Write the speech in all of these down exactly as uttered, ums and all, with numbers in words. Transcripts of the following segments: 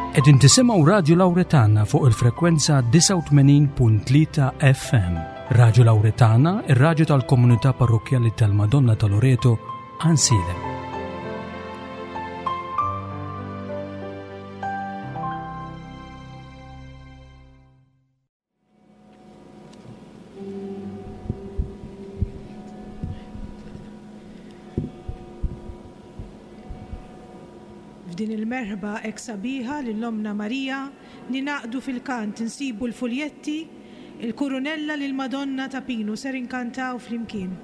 Qegħdin tisimgħu Radju Lawretana fuq il-frekwenza disgħa u tmenin punt tlieta F M. Radju Lawretana, ir-radju tal-komunità parrokkjali tal-Madonna ta' Loreto, Għajnsielem. F'din il-merħba hekk sabiħa lil Ommna Marija ninaqdu fil-kant, insibu l-fuljetti, il-kurunella lil Madonna ta' Pinu ser inkantaw flimkien.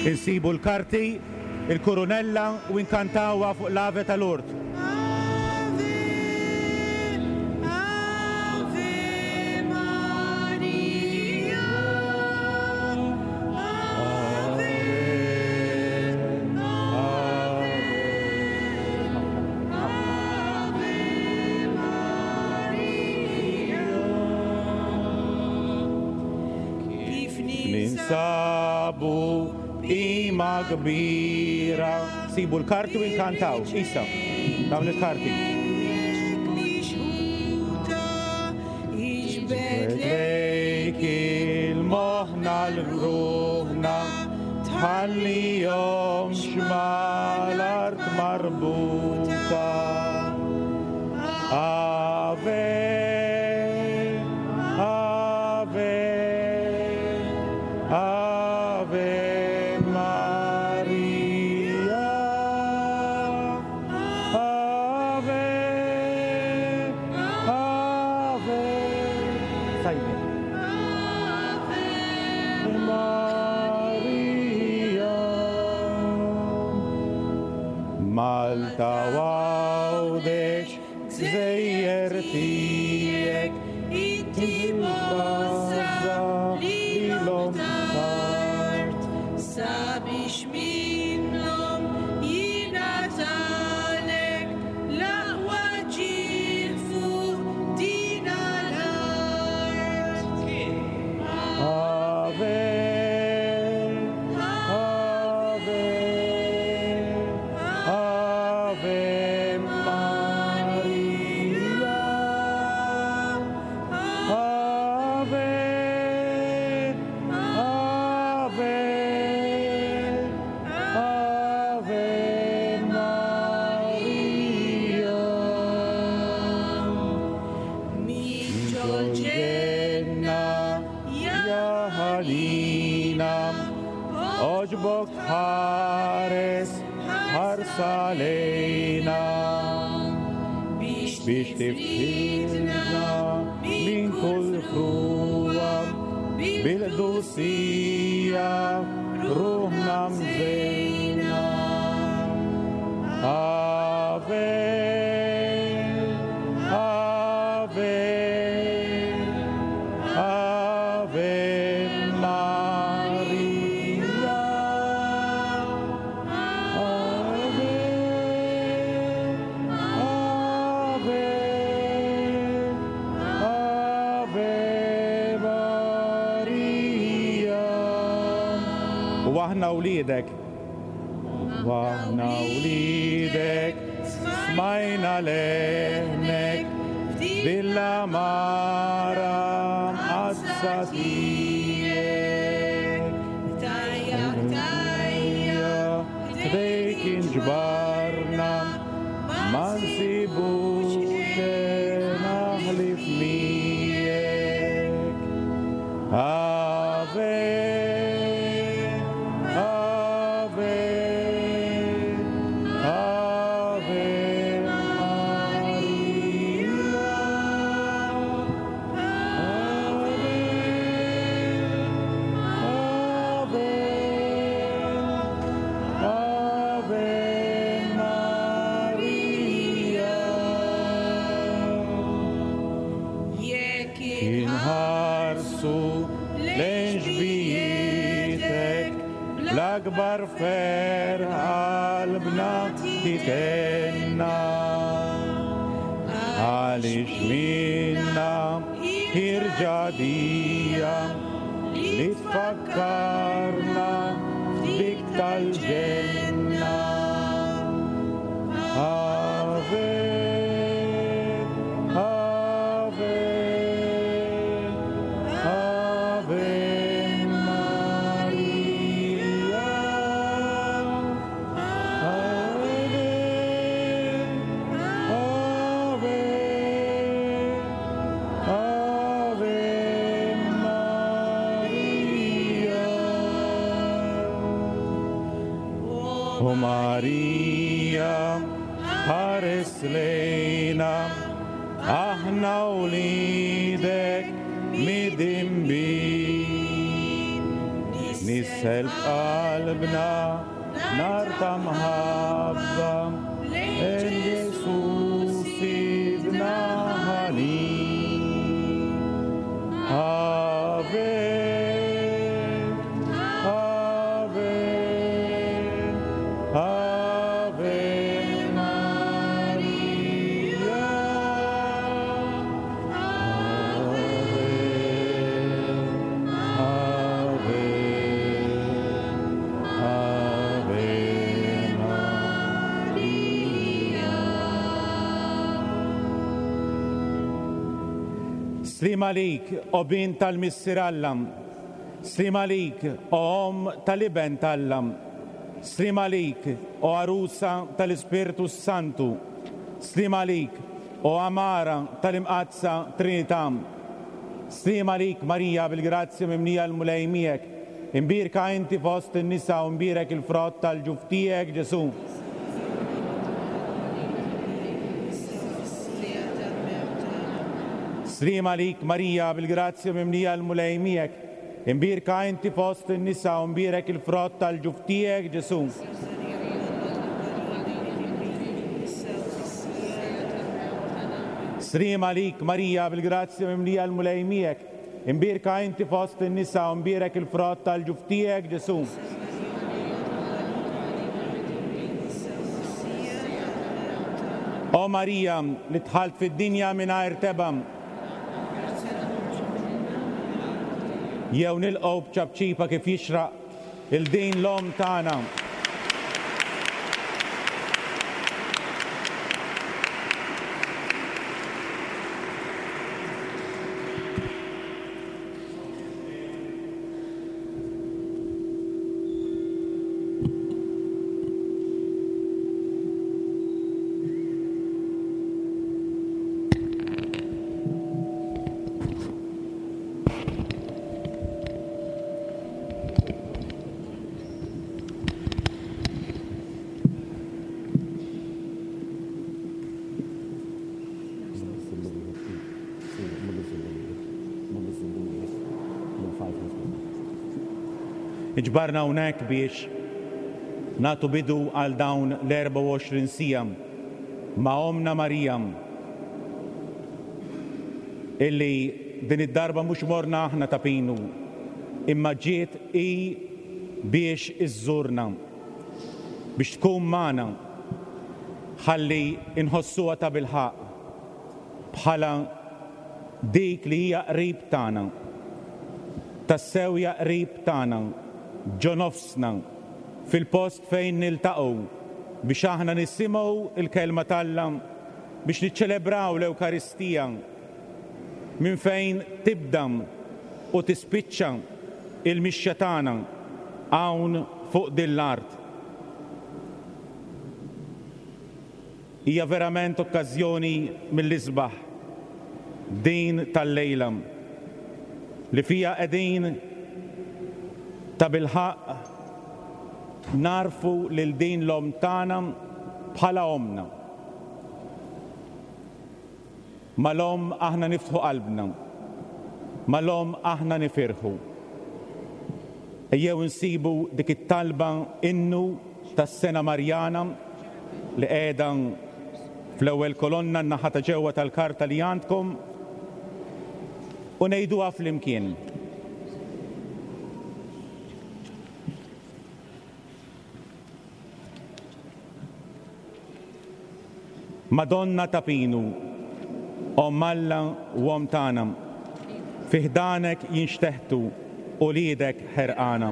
Insibu l-karti, il-kurunella u inkantawha fuq l-Ave ta' Lourdes. Ave, Ave Maria, Ave, Ave, Ave Maria. Kif ninsabu b'qima kbira. Sibu l-karti u inkantaw. Isa, dawn il-karti. Lejk il-moħna l-ruħna, tħallihomx mal-art marbuta. Ave, Ave, Ave Maria, Ave, Ave, Sajmi. Maria, Malta Għawdex, gżejjer tiegħek, Inti mozza lilhom tard, sabiex minnhom jingħatalek l-aqwa ġieħ fuq din l-art. Ave, Ave, Ave Maria, Ave, Ave, Ave Maria. Min ġol-ġenna ja ħanina, oġbok tħares ħarsa lejna, biex biex tifħilna minn kull frua, bil-qdusija ruħna mżejna. Ave, Ave, Ave Maria, Ave, Ave, Ave Maria. U aħna wliedek, u aħna wliedek, smajna leħnek, bil-amara mqaddsa tiegħek. Tajja, tajja, Ħdejk inġbarna, ma nsibux naħlif miegħek. Ave, Ave, Ave Maria, Ave, Ave, Ave L-akbar ferħ qalbna titenna, għaliex minna ħirġadija li tfakkarna f'dik tal-ġenna. Ave, Ave, Ave Maria. Ave, Ave, Ave Maria. O Maria, ħares lejna, aħna wliedek midinbin. Nissel f'qalbna nar ta' mħabba lejn Ġesù Sidna ħanin. Ave, Ave, Ave Maria. Ave, Ave, Ave Maria. Slim għalik, o bin tal-Missier Alla, slim għalik, o Omm tal-Iben t'Alla, slim għalik, o Arusa tal-Ispirtu Santu, slim għalik, o Amara tal-Imqaddsa Trinità, slim għalik Marija bil-grazzja mimlija l-Mulej miegħek, imbierka inti fost in-nisa u mbierek il-frott tal-ġuf tiegħek Ġesù. Slim għalik Marija bil-grazzja mimlija l-Mulej miegħek, imbierka inti fost in-nisa u mbierek il-frott tal-ġuf tiegħek Ġesù. Slim għalik Marija bil-grazzja mimlija l-Mulej miegħek, imbierka inti fost in-nisa u mbierek il-frott tal-ġuf tiegħek Ġesù. O Marija li dħalt fid-dinja mingħajr tebgħa, jew nilqgħu b'ċapċipa kif jixraq il-din l-omm tagħna. Iġbarna hawnhekk biex nagħtu bidu għal dawn l-erbgħa u għoxrin siegħa ma' Ommna Marija, illi din id-darba mhux morna aħna ta' Pinu, imma ġiet hi biex iżżurna, biex tkun magħna, ħalli inħossuha ta' bilħaqq bħala dik li hija qrib tagħna, tassew hija qrib tagħna, ġo nofsna, fil-post fejn niltaqgħu biex aħna nisimgħu il-kelma t'Alla, biex niċċelebraw l-Ewkaristija minn fejn tibda u tispiċċa il-mixja tagħna hawn fuq din l-art. Hija verament okkażjoni mill-isbaħ din tal-lejla li fija qegħdin ta' bilħaqq narfu lil din l-omm tagħna bħala ommna. Mal-omm aħna niftħu qalbna, mal-omm aħna nifirħu. Ejjew insibu dik it-talba innu tas-sena Marjana li qiegħda fl-ewwel kolonna n-naħa ta' ġewwa tal-karta li għandkom u ngħiduha flimkien. Madonna ta' Pinu, Omm Alla u Omm tagħna, fi ħdanek jinxteħtu uliedek ħerqana.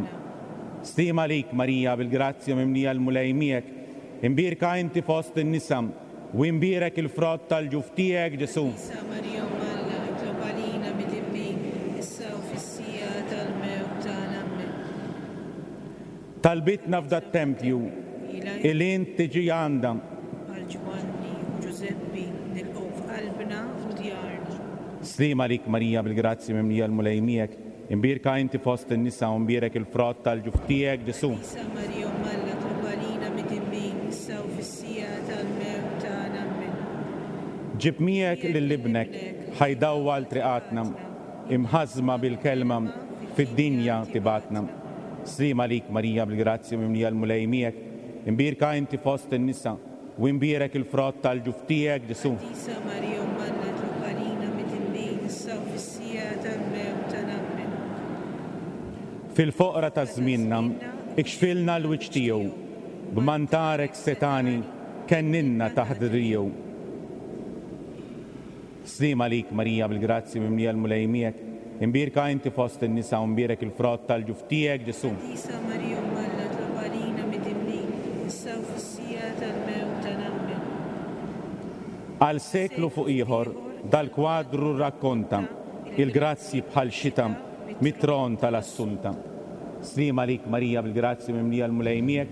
Sliem għalik Marija bil-grazzja mimlija l-Mulej miegħek, imbierka inti fost in-nisa u imbierek il-frott tal-ġuf tiegħek Ġesù. Qaddisa Marija Omm Alla, itlob għalina midinbin, issa u fis-siegħa tal-mewt tagħna. Amen. Talbitna f'dat-tempju il int tiġi għandha. Bħal Ġwanni u Ġużeppi nilqgħu f'qalbna u djarna. Sliem għalik Marija bil-grazzja mimlija l-Mulej miegħek, imbierka inti fost in-nisa u imbierek il-frott tal-ġuf tiegħek Ġesù. Qaddisa Marija Omm Alla, itlob għalina midinbin, issa u fis-siegħa tal-mewt tagħna. Amen. Ġib miegħek lil ibnek ħa jdawwal triqatna, imħażżma bil-kelma fid-dinja tibgħatna. Sliem għalik Marija bil-grazzja mimlija l-Mulej miegħek, imbierka inti fost in-nisa u imbierek il-frott tal-ġuf tiegħek Ġesù. Qaddisa Marija Omm Alla, itlob għalina midinbin, issa u fis-siegħa tal-mewt tagħna. Amen. Fil-foqra ta' żmienna, ikxfilna l-wiċċ tiegħu, b'mantarek setgħani kenninna taħt driegħu. Sliem għalik Marija bil-grazzja mimlija l-Mulej miegħek, imbierka inti fost in-nisa u imbierek il-frott tal-ġuf tiegħek Ġesù. Qaddisa Marija Omm Alla, itlob għalina midinbin, issa u fis-siegħa tal-mewt tagħna. Amen. Għal seklu fuq ieħor dal-kwadru rrakkonta il-grazzi bħal xita mit-tron tal-Assunta. Sliem għalik Marija bil-grazzja mimlija l-Mulej miegħek,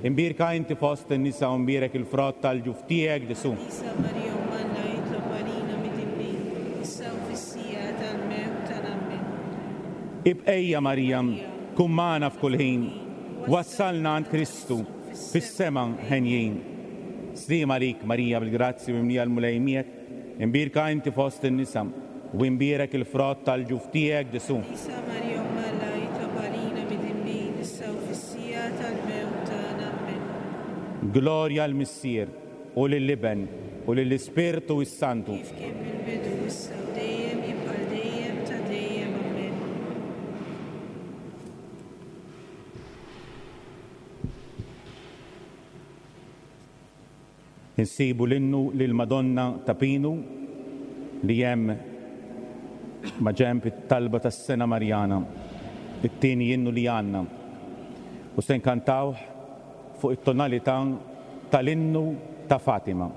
imbierka inti fost in-nisa u imbierek il-frott tal-ġuf tiegħek Ġesù. Qaddisa Marija Omm Alla, itlob għalina midinbin, issa u fis-siegħa tal-mewt tagħna. Amen. Ibqejja Marija, kun magħna f'kull ħin, wassalna għand Kristu fis-sema henjin. Sliem għalik Marija bil-grazzja mimlija l-Mulej miegħek, imbierka inti fost in-nisa u imbierek il-frott tal-ġuf tiegħek Ġesù. Qaddisa Marija Omm Alla, itlob għalina midinbin, issa u fis-siegħa tal-mewt tagħna. Amen. Glorja l-Missier u lill-Iben u lill-Ispirtu s-Santu. Kif kien fil-bidu, issa u dejjem, jibqa' dejjem ta' dejjem. Amen. Insibu l-innu lil Madonna ta' Pinu li hemm ma' ġenb it-talba tas-sena Marjana, it-tieni innu li għandna. U se nkantawh fuq it-tonalità tal-innu ta' Fatima.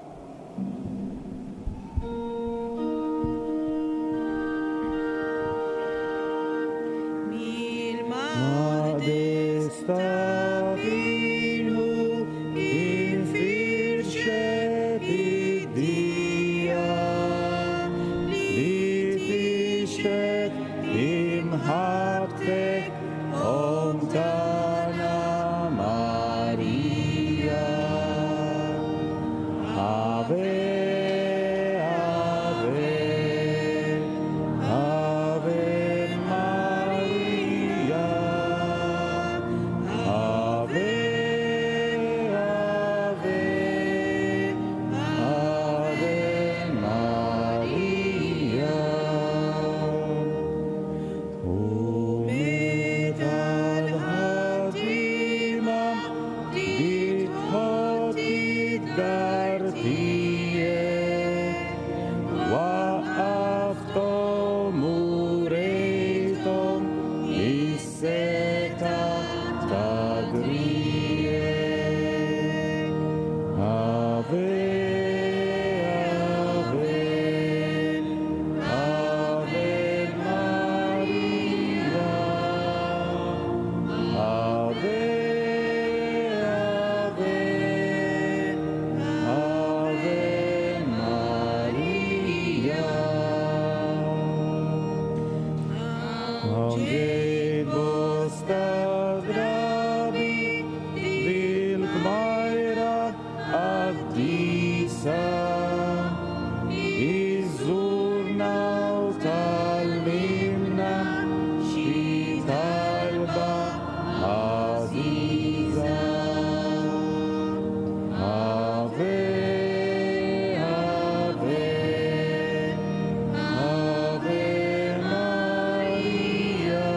Mill-Maqdes ta' Pinu infirxet id-dija li tixhed imħabbtek Omm tagħna Marija. Ave, Ave, Ave Maria. Ave, Ave, Ave Maria. U meta l-ħaddiema bdiet tħott id-dar tiegħek, waqqafthom u rejthom is-setgħa ta' driegħek. Ave, Ave, Ave Maria. Ave, Ave, Ave Maria. Ġejt bosta drabi bil-kmajra qaddisa, iżżurna u tgħallimna xi talba għażiża. Ave, Ave, Ave Maria.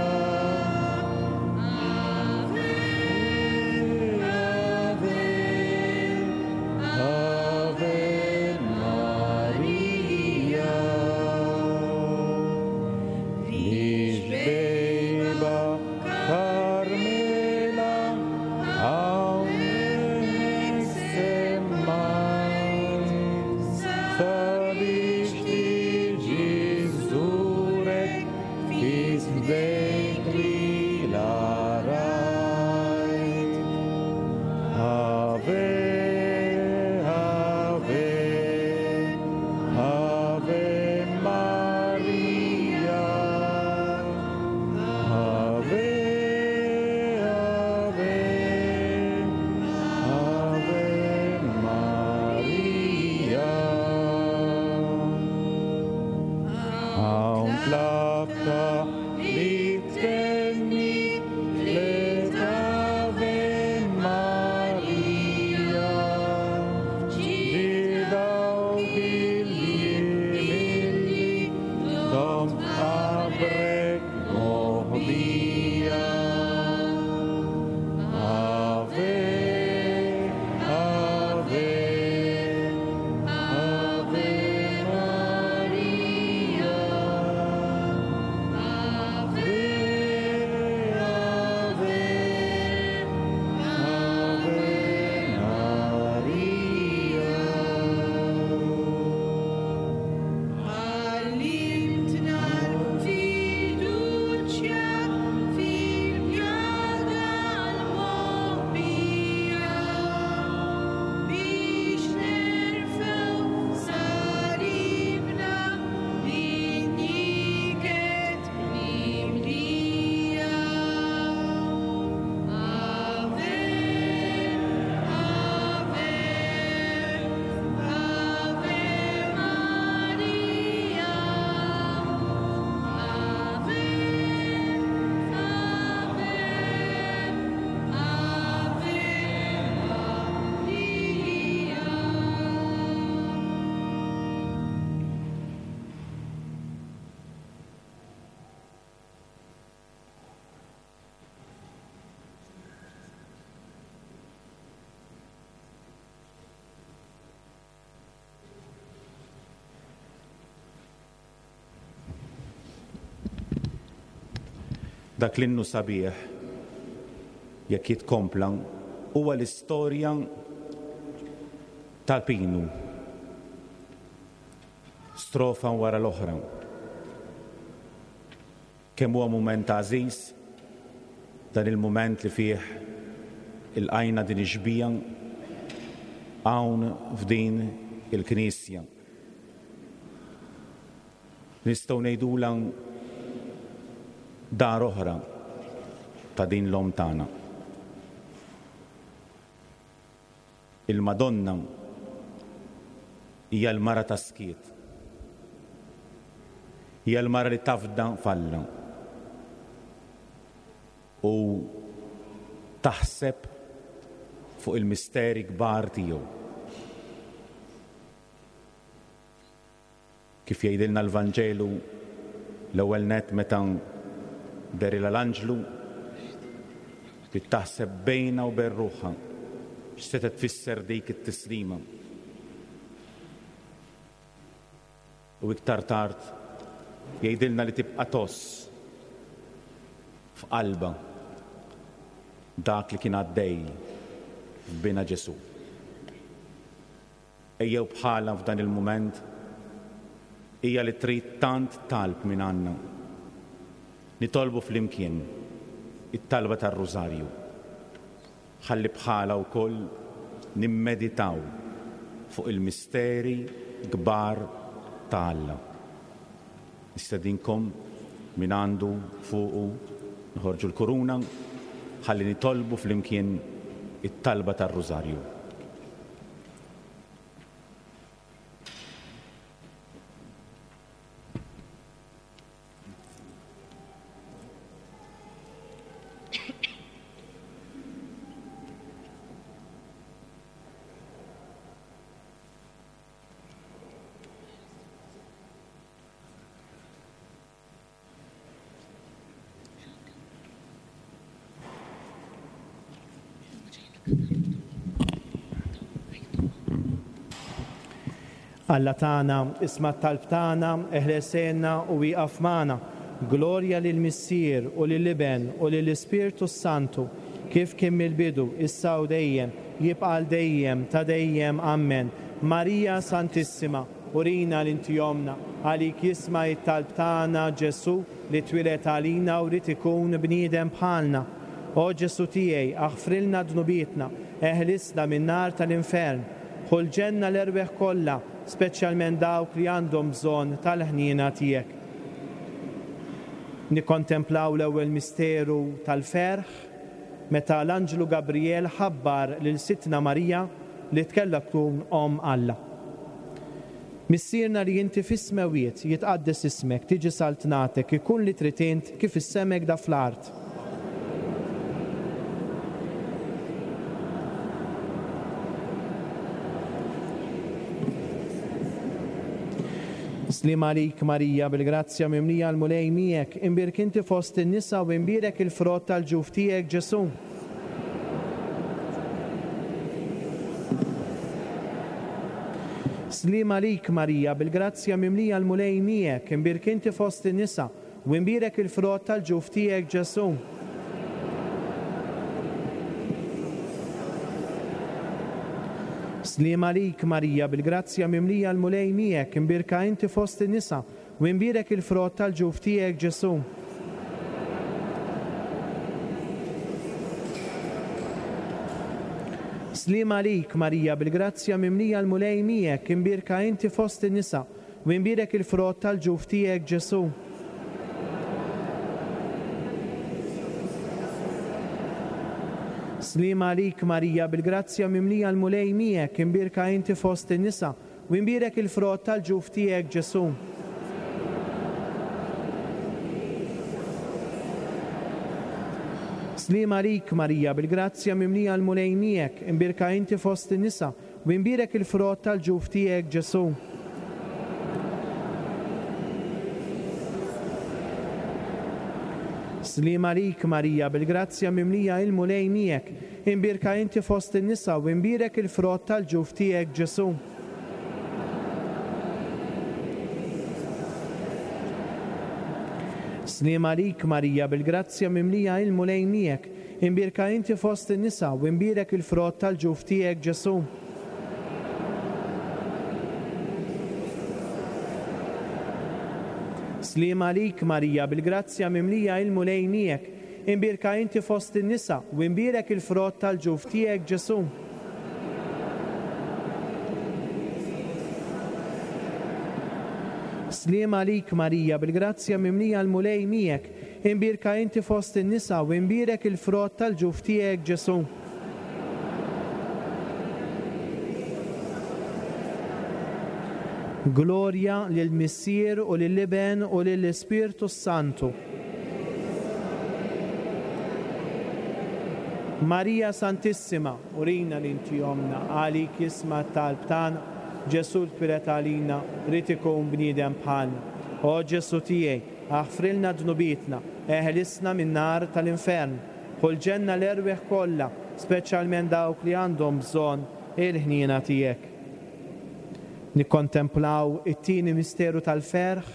Dak l-innu sabiħ jekk jitkompla huwa l-istorja tal-Pinu. Strofa wara l-oħra. Kemm huwa mument għażiż dan il-mument li fih ilqajna din ix-xbieha hawn f'din il-knisja. Nistgħu ngħidulha dar oħra ta' din l-omm tagħna. Il-Madonna hija l-mara ta' skiet. Hija l-mara li tafda f'Alla u taħseb fuq il-misteri kbar tiegħu. Kif jgħidilna l-Vanġelu l-ewwel nett meta derilha l-anġlu li taħseb bejna u bejn ruħha x'se tfisser dik it-tislima. U iktar tard jgħidilna li tibqa' tgħożż f'qalbha dak li kien għaddej f'bina Ġesù. Ejjew bħala f'dan il-mument hija li trid tant talb minn għandna. Nitolbu flimkien it-talba tar-Rużarju. Ħalli bħala wkoll nimmeditaw fuq il-misteri kbar ta' Alla. Nistedinkom minn għandu fuqu nħorġu l-kuruna ħalli nitolbu flimkien it-talba tar-Rużarju. Alla tagħna, isma' t-talb tagħna, eħles għinna u wieqaf magħna. Glorja lill-Missier u lill-Iben u lill-Ispirtu Santu, kif kien mill-bidu, issa u dejjem, jibqa' għal dejjem ta' dejjem. Amen. Marija Santissima, urina li inti ommna, għalik jisma' it-talb tagħna Ġesù li twieled għalina u ried ikun bniedem bħalna. O Ġesù tiegħi, aħfrilna dnubietna, eħlisna min-nar tal-infern, ħu l-ġenna l-erwieħ kollha, speċjalment dawk li għandhom bżonn tal-ħniena tiegħek. Nikkontemplaw l-ewwel misteru tal-ferħ meta l-Anġlu Gabriel ħabbar lil Sidtna Marija li tkella tkun omm Alla. Missierna li inti fis-smewwiet, jitqaddes ismek, tiġi saltnatek, ikun li trid int kif is-sema hekk fl-art. Sliem għalik Marija, bil-grazzja mimlija l-Mulej miegħek, imbierka inti fost in-nisa u imbierek il-frott tal-ġuf tiegħek Ġesù. Sliem għalik Marija, bil-grazzja mimlija l-Mulej miegħek, imbierka inti fost in-nisa u imbierek il-frott tal-ġuf tiegħek Ġesù. Sliem għalik Marija, bil-grazzja mimlija l-Mulej miegħek, imbierka inti fost in-nisa u imbierek il-frott tal-ġuf tiegħek Ġesù. Sliem għalik Marija, bil-grazzja mimlija l-Mulej miegħek, imbierka inti fost in-nisa u imbierek il-frott tal-ġuf tiegħek Ġesù. Sliem għalik Marija, bil-grazzja mimlija l-Mulej miegħek, imbierka inti fost in-nisa u imbierek il-frott tal-ġuf tiegħek Ġesù. Sliem għalik Marija, bil-grazzja mimlija l-Mulej miegħek, imbierka inti fost in-nisa u imbierek il-frott tal-ġuf tiegħek Ġesù. Sliem għalik Marija, bil-grazzja mimlija il-Mulej miegħek, imbierka inti fost in-nisa u imbierek il-frott tal-ġuf tiegħek Ġesù. Sliem għalik Marija, bil-grazzja mimlija il-Mulej miegħek, imbierka inti fost in-nisa u imbierek il-frott tal-ġuf tiegħek Ġesù. Sliem għalik Marija, bil-grazzja mimlija il-Mulej miegħek, imbierka inti fost in-nisa u imbierek il-frott tal-ġuf tiegħek Ġesù. Sliem għalik Marija, bil-grazzja mimlija l-Mulej miegħek, imbierka inti fost in-nisa u imbierek il-frott tal-ġuf tiegħek Ġesù. Glorja lill-Missier u lill-Iben u lill-Ispirtu Santu. Marija Santissima, urina li inti ommna, għalik jisma' t-talb tagħna, Ġesù twieled għalina, ried ikun bniedem bħalna. O Ġesù tiegħi, aħfrilna dnubietna, eħlisna min-nar tal-infern, ħu l-ġenna l-erwieħ kollha, speċjalment dawk li għandhom bżonn il-ħniena tiegħek. Nikkontemplaw it-tieni misteru tal-ferħ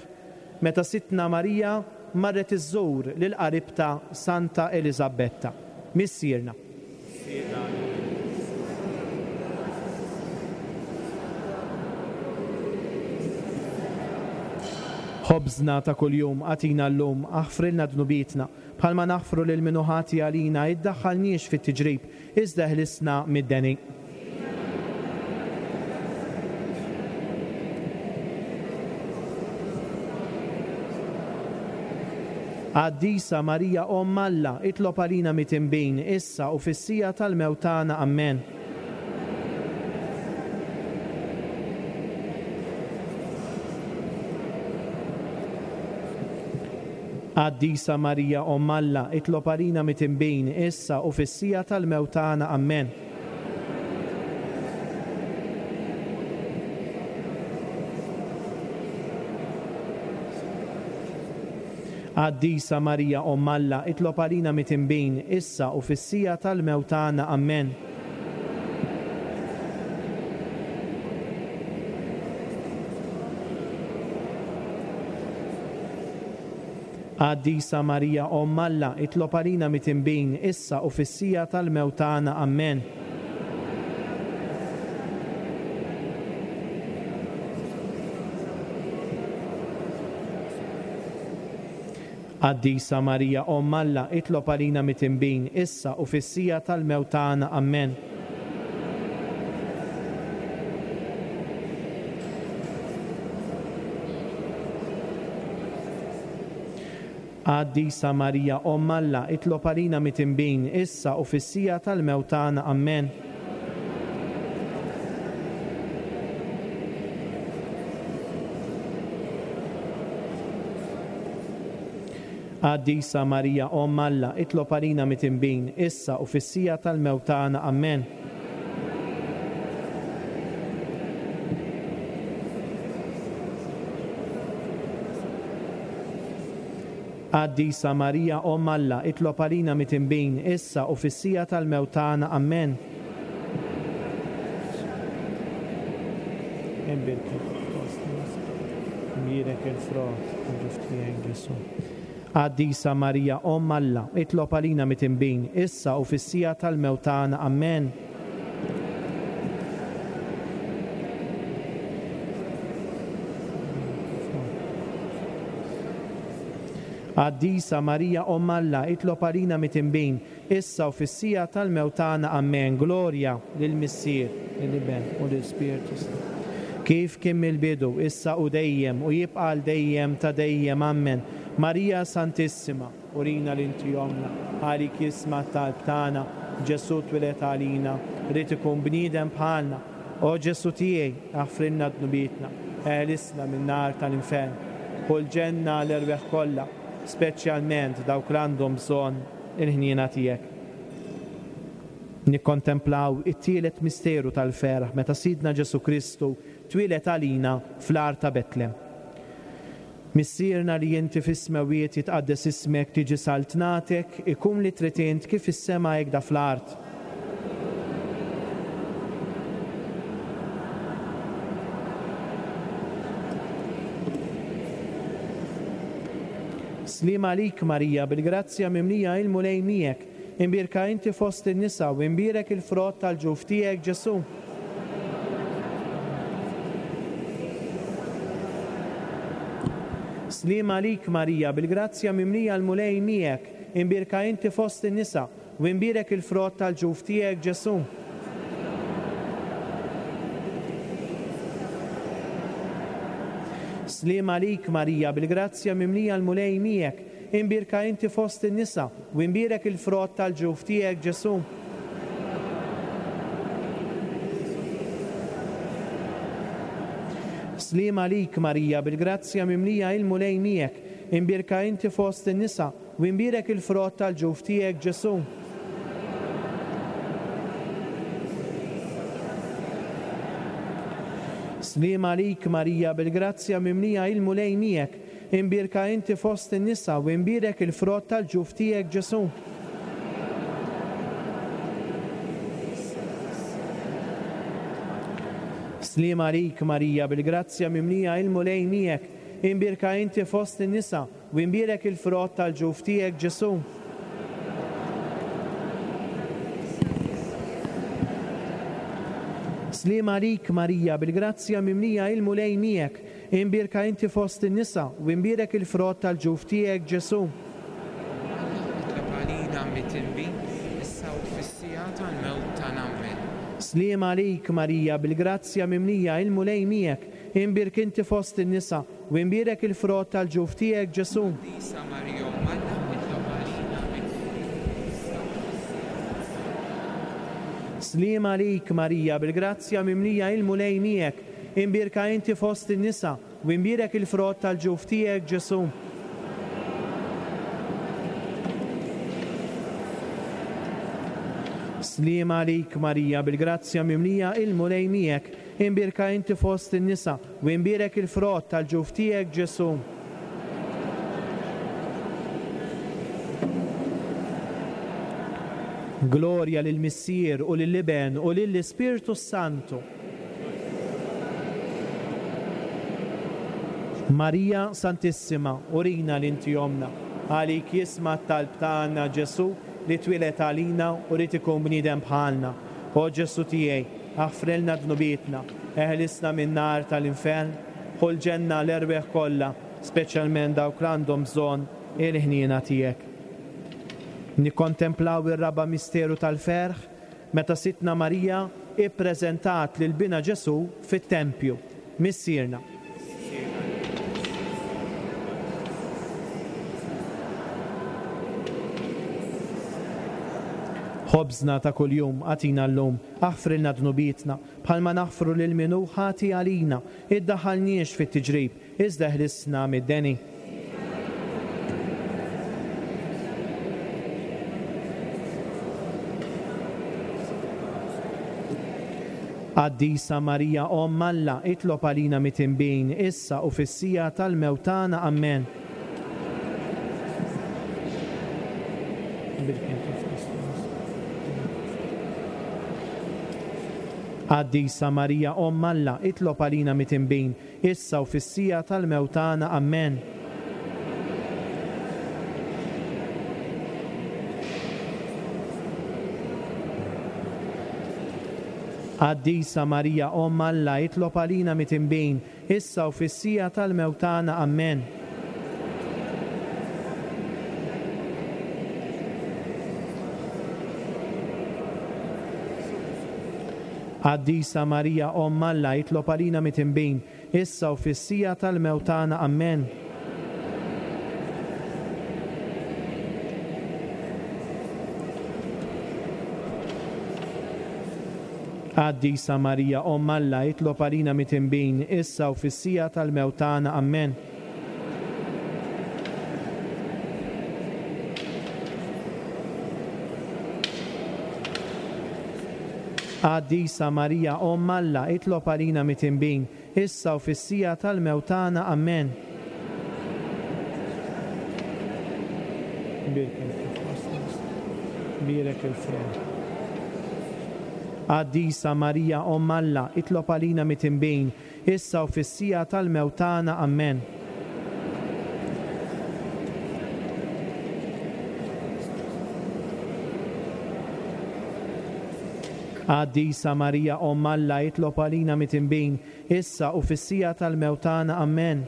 meta Sidtna Marija marret iżżur lil qaribta Santa Eliżabetta. Missierna. Ħobżna ta' kuljum agħtina llum, aħfrilna dnubietna, bħalma naħfru lil min hu ħati għalina, iddaħħalniex fit-tiġrib, iżda ħlisna mid-deni. Qaddisa Marija Omm Alla, itlob għalina mitinbin, issa u fis-siegħa tal-mewt tagħna. Amen. Qaddisa Marija Omm Alla, itlob għalina mitinbin, issa u fis-siegħa tal-mewt tagħna. Amen. Qaddisa Marija Omm Alla, itlob għalina mitinbin, issa u fis-siegħa tal-mewt tagħna. Amen. Qaddisa Marija Omm Alla, itlob għalina mitinbin, issa u fis-siegħa tal-mewt tagħna. Amen. Qaddisa Marija Omm Alla, itlob għalina mitinbin, issa u fis-siegħa tal-mewt tagħna. Amen. Qaddisa Marija Omm Alla, itlob għalina mitinbin, issa u fis-siegħa tal-mewt tagħna. Amen. Qaddisa Marija Omm Alla, itlob għalina mitinbin, issa u fis-siegħa tal-mewt tagħna. Amen. Qaddisa Marija Omm Alla, itlob għalina mitinbin, issa u fis-siegħa tal-mewt tagħna. Amen. Imbierek il-frott tal-ġuf tiegħek Ġesù. Qaddisa Marija Omm Alla, itlob għalina mitinbin, issa u fis-siegħa tal-mewt tagħna. Amen. Qaddisa Marija Omm Alla, itlob għalina mitinbin, issa u fis-siegħa tal-mewt tagħna. Amen. Glorja lill-Missier, lill-Iben u lill-Ispirtu Santu. Kif kien mill-bidu, issa u dejjem, u jibqa' għal dejjem ta' dejjem. Amen. Marija Santissima, urina li inti ommna, għalik jisma' t-talb tagħna, Ġesù twieled għalina, ried ikun bniedem bħalna. O Ġesù tiegħi, aħfrilna dnubietna, eħlisna min-nar tal-infern, ħu l-ġenna l-erwieħ kollha, speċjalment dawk li għandhom bżonn il-ħniena tiegħek. Nikkontemplaw it-tielet misteru tal-ferħ meta Sidna Ġesù Kristu twieled għalina fl-għar ta' Betlem. Missierna li inti fis-smewwiet, jitqaddes ismek, tiġi saltnatek, ikun li trid int kif fis-sema hekk da fl-art. Sliem għalik Marija, bil-grazzja mimlija il-Mulej miegħek, imbierka inti fost in-nisa u imbierek il-frott tal-ġuf tiegħek Ġesù. Sliem għalik Marija, bil-grazzja mimlija l-Mulej miegħek, imbierka inti fost in-nisa u imbierek il-frott tal-ġuf tiegħek Ġesù. Sliem għalik Marija, bil-grazzja mimlija l-Mulej miegħek, imbierka inti fost in-nisa u imbierek il-frott tal-ġuf tiegħek Ġesù. Sliem għalik Marija, bil-grazzja mimlija il-Mulej miegħek, imbierka inti fost in-nisa u imbierek il-frott tal-ġuf tiegħek Ġesù. Sliem għalik Marija, bil-grazzja mimlija il-Mulej miegħek, imbierka inti fost in-nisa u imbierek il-frott tal-ġuf tiegħek Ġesù. Sliem għalik Marija, bil-grazzja mimlija il-Mulej miegħek, imbierka inti fost in-nisa u imbierek il-frott tal-ġuf tiegħek Ġesù. Sliem għalik Marija, bil-grazzja mimlija il-Mulej miegħek, imbierka inti fost in-nisa u imbierek il-frott tal-ġuf tiegħek Ġesù. Itlob għalina midinbin, issa u fis-siegħa tal-mewt tagħna. Amen. Sliem għalik Marija, bil-grazzja mimlija il-Mulej miegħek, imbierk inti fost in-nisa u imbierek il-frott tal-ġuf tiegħek Ġesù. Qaddisa Marija Omm Alla, itlob għalina midinbin, issa u fis-siegħa. Sliem għalik Marija, bil-grazzja mimlija il-Mulej miegħek, imbierka inti fost in-nisa u imbierek il-frott tal-ġuf tiegħek Ġesù. Sliem għalik Marija, bil-grazzja mimlija il-Mulej miegħek, imbierka inti fost in-nisa u imbierek il-frott tal-ġuf tiegħek Ġesù. Glorja lill-Missier u lill-Iben u lill-Ispirtu Santu. Marija Santissima, urina li inti omna, għalik jisma' t-talb tagħna Ġesù li twieled għalina u rid ikun bniedem bħalna. O Ġesù tiegħi, aħfrilna dnubietna, eħlisna min-nar tal-infern, ħu l-ġenna l-erwieħ kollha, speċjalment dawk li għandhom bżonn il-ħniena tiegħek. Nikkontemplaw ir-raba' misteru tal-ferħ meta Sidtna Marija ippreżentat lil bina Ġesù fit-tempju. Missierna. Ħobżna ta' kuljum agħtina llum, aħfrilna dnubietna, bħalma naħfru lil min hu ħati għalina, iddaħħalniex fit-tiġrib, iżda ħlisna mid-deni. Qaddisa Marija Omm Alla, itlob għalina midinbin, issa u fis-siegħa tal-mewt tagħna. Amen. Qaddisa Marija Omm Alla, itlob għalina midinbin, issa u fis-siegħa tal-mewt tagħna. Amen. Qaddisa Marija Omm Alla, itlob għalina midinbin, issa u fis-siegħa tal-mewt tagħna. Amen. Qaddisa Marija Omm Alla, itlob għalina midinbin, issa u fis-siegħa tal-mewt tagħna. Amen. Qaddisa Marija Omm Alla, itlob għalina midinbin, issa u fis-siegħa tal-mewt tagħna. Amen. Qaddisa Marija Omm Alla, itlob għalina midinbin, issa u fis-siegħa tal-mewt tagħna. Amen. Bierek il-frott. Qaddisa Marija Omm Alla, itlob għalina midinbin, issa u fis-siegħa tal-mewt tagħna. Amen. Qaddisa Marija Omm Alla, itlob għalina mitinbin, issa u fis-siegħa tal-mewt tagħna. Amen.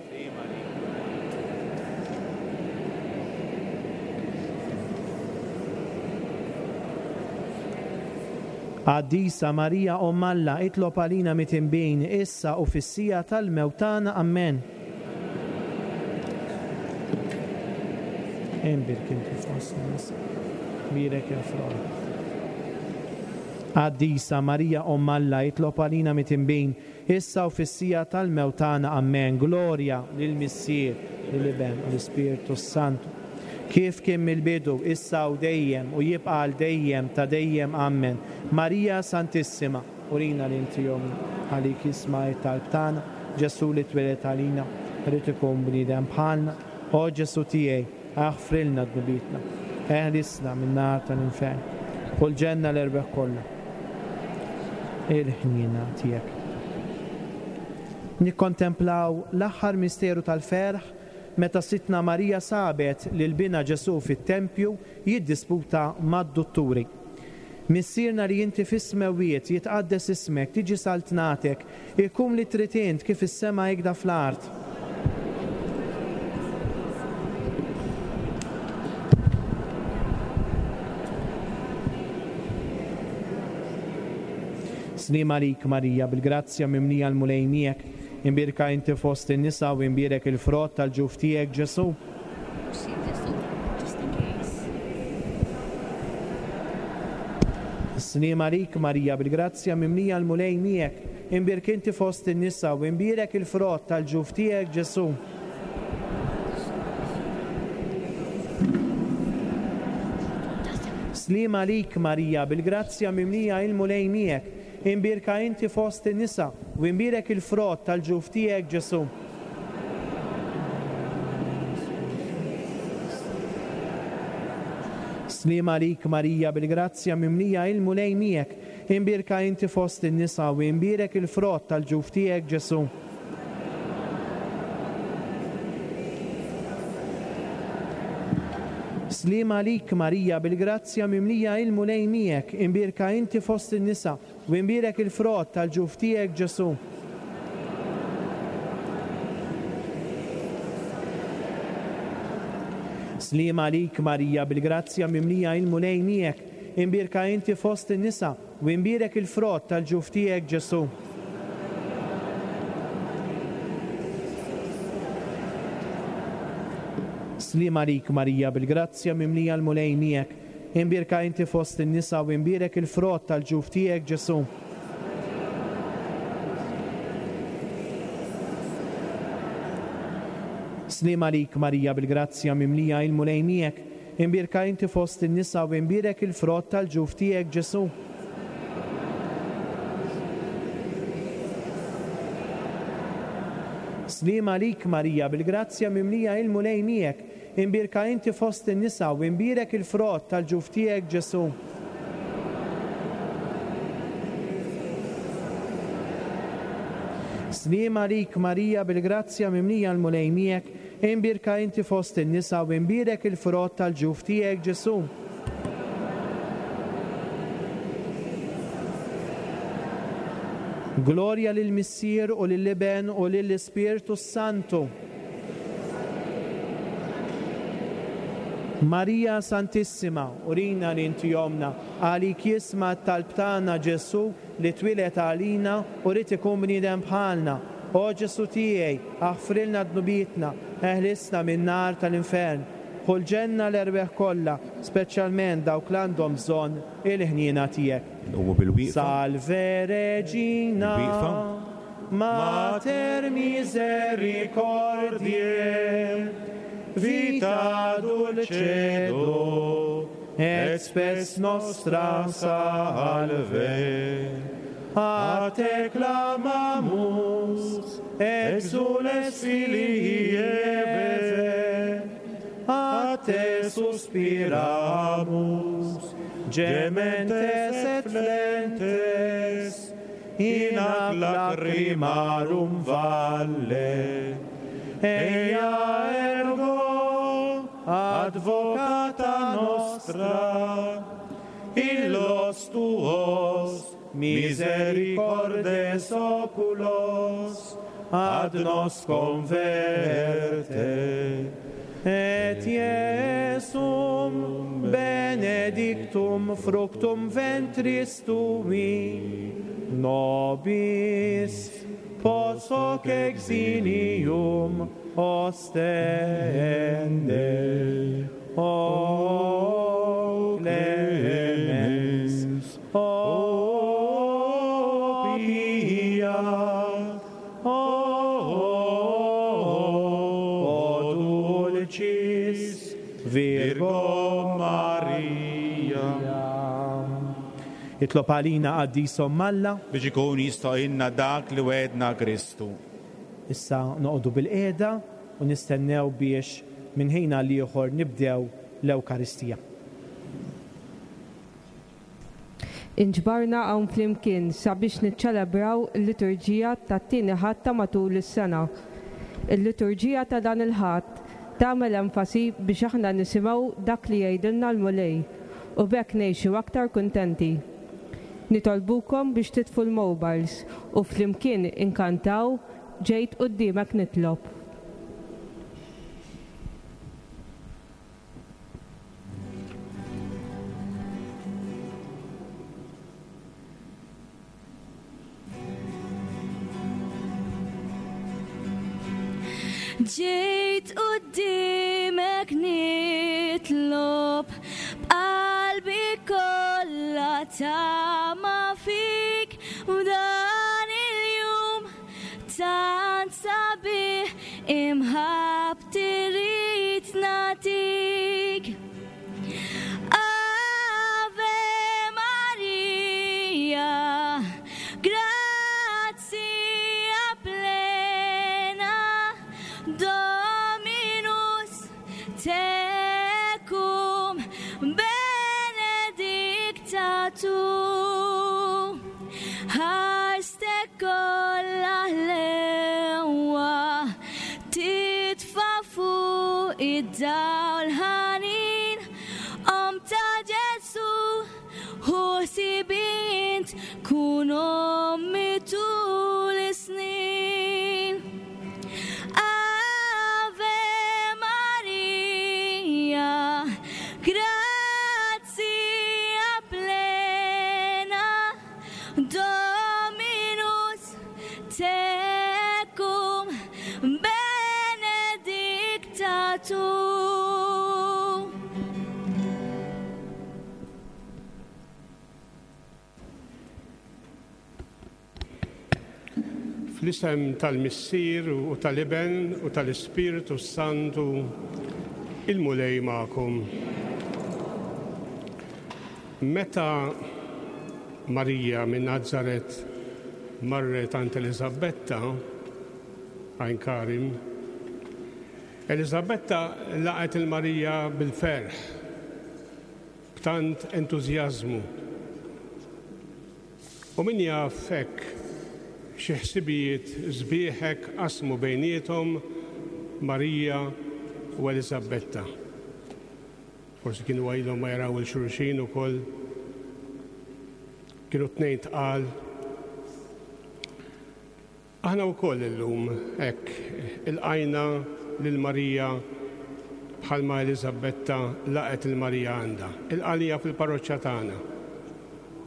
Qaddisa Marija Omm Alla, itlob għalina mitinbin, issa u fis-siegħa tal-mewt tagħna. Amen. Imbierek inti fost in-nisa, bierek il-frott. Qaddisa Marija Omm Alla, itlob għalina mitinbin, issa u fis-siegħa tal-mewt tagħna. Amen. Glorja lill-Missier, lill-Iben u l-Ispirtu Santu, kif kien mill-bidu, issa u dejjem, u jibqa' għal dejjem ta' dejjem. Amen. Marija Santissima, urina li inti ommna, għalik jisma' it-talb tagħna. Ġesù li twieled għalina, irid ikun bniedem bħalna. O Ġesù tiegħi, aħfrilna dnubietna, eħlisna min-nar tal-infern, u l-ġenna l-erwieħ kollha il-ħniena tiegħek. Nikkontemplaw l-aħħar misteru tal-ferħ meta Sidtna Marija sabet lil binha Ġesù fit-tempju jiddisputa mad-dutturi. Missierna li inti fis-smewwiet, jitqaddes ismek, tiġi saltnatek, ikun li trid int kif is-sema hekda fl-art. Slim għalik Marija, bil-grazzja mimlija l-Mulej miegħek, imbierka inti fost in-nisa u imbierek il-frott tal-ġuf tiegħek Ġesù. Slim għalik Marija, bil-grazzja mimlija l-Mulej miegħek, imbierek inti fost in-nisa u imbierek il-frott tal-ġuf tiegħek Ġesù. Slim għalik Marija, bil-grazzja mimlija il-Mulej miegħek, imbierka inti fost in-nisa u imbierek il-frott tal-ġuf tiegħek Ġesù. Slim għalik Marija, bil-grazzja mimlija il-Mulej miegħek, imbierka inti fost in-nisa u imbierek il-frott tal-ġuf tiegħek Ġesù. Slim għalik Marija, bil-grazzja mimlija il-Mulej miegħek, imbierka inti fost in-nisa u imbierek il-frott tal-ġuf tiegħek Ġesù. Slim għalik Marija, bil-grazzja mimlija il-Mulej miegħek, imbierka inti fost in-nisa u imbierek il-frott tal-ġuf tiegħek Ġesù. Slim għalik Marija, bil-grazzja mimlija l-Mulej miegħek, imbierka inti fost in-nisa u imbierek il-frott tal-ġuf tiegħek Ġesù. Slim għalik Marija, bil-grazzja mimlija il-Mulej miegħek, imbierka inti fost in-nisa u imbierek il-frott tal-ġuf tiegħek Ġesù. Slim għalik Marija, bil-grazzja mimlija il-Mulej miegħek, imbierka inti fost in-nisa u imbierek il-frott tal-ġuf tiegħek Ġesù. Slim għalik Marija, bil-grazzja mimlija l-Mulej miegħek, imbierka inti fost in-nisa u imbierek il-frott tal-ġuf tiegħek Ġesù. Glorja lill-Missier u lill-Iben u lill-Ispirtu Santu. Marija Santissima, urina li inti ommna, għalik jisma' t-talb tagħna Ġesù li twieled għalina u rid ikun bniedem bħalna. O Ġesù tiegħi, aħfrilna dnubietna, eħlisna min-nar tal-infern, ħu l-ġenna l-erwieħ kollha, speċjalment dawk li għandhom bżonn il-ħniena tiegħek. Nqumu bil-wieqfa. Salve Regina, Bil-wieqfa. Mater misericordiae, vita dulcedo, et spes nostra salve. A te clamamus, exules filii Eve, a te suspiramus, gementes et flentes, in ac lacrimarum valle. Eia ergo, advocata nostra, illos tuos misericordes oculos ad nos converte. Et Iesum benedictum fructum ventris tui, nobis post hoc exilium ostende. O clemens, o pia, o dulcis Virgo Maria. Itlob għalina qaddis Omm Alla biex ikun jistgħinna dak li wegħedna Kristu. Issa noqogħdu bil-qiegħda u nistennew biex minn ħin għal ieħor nibdew l-Ewkaristija. Inġbarna hawn flimkien sabiex niċċelebraw il-liturġija tat-tieni Ħadd ta' matul is-sena. Il-liturġija ta' dan il-Ħadd tagħmel enfasi biex aħna nisimgħu dak li jgħidilna l-Mulej u b'hekk ngħixu aktar kuntenti. Nitolbukom biex titfu l-mobiles u flimkien inkantaw Ġejt quddiemek nitlob. Ġejt quddiemek nitlob b'qalbi kollha tama fik u dan il-jum tant sabiħ imħabbti rrid nagħtik. Ave Maria, grazia plena, Dominus tecum benedicta tu. Ħarstek kollha ħlewwa titfa' fuq id-dawl ħanin, Omm ta' Ġesù, hu ħsibi int, kun ommi tul is-snin. Ave Maria, grazia plena, Dominus tecum benedicta tu. Fl-isem tal-Missier u tal-Iben u tal-Ispirtu Santu, il-Mulej magħkom. Meta Marija minn Nazaret marret għand Eliżabetta għajn Karim, Eliżabetta laqgħet il-Marija bil-ferħ, b'tant entużjażmu. U min jaf hekk xi ħsibijiet sbieħek qasmu bejniethom Marija u Eliżabetta. Forsi kienu għajlhom ma jaraw il-xulxin ukoll. Kienu tnejn tqal. Aħna wkoll illum hekk ilqajna lil Marija bħalma Eliżabetta laqgħet il-Marija għandha. Ilqalija fil-parroċċa tagħna.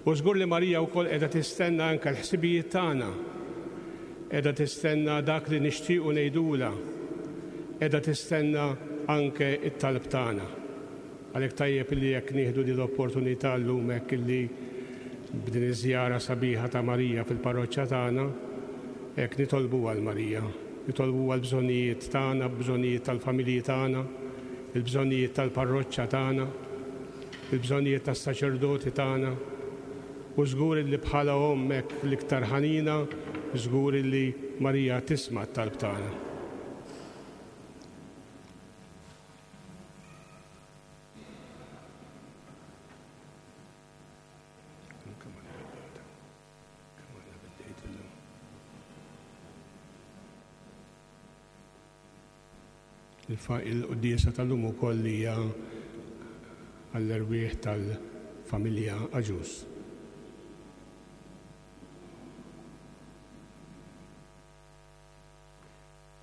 U żgur li Marija wkoll qiegħda tistenna anke l-ħsibijiet tagħna. Qiegħda tistenna dak li nixtiequ ngħidulha. Qiegħda tistenna anke t-talb tagħna. Għalhekk tajjeb li jekk nieħdu din l-opportunità llum hekk illi b'din iż-żjara sabiħa ta' Marija fil-parroċċa tagħna, hekk nitolbu għal Marija, nitolbu għal bżonnijiet tagħna, bżonnijiet tal-familji tagħna, il-bżonnijiet tal-parroċċa tagħna, il-bżonnijiet tas-saċerdoti tagħna. U żgur li bħala omm hekk l-iktar ħanina, żgur li Marija tisma' t-talb tagħna. Il-quddiesa tal-lum ukoll hija għall-erwieħ tal-familja Aġus.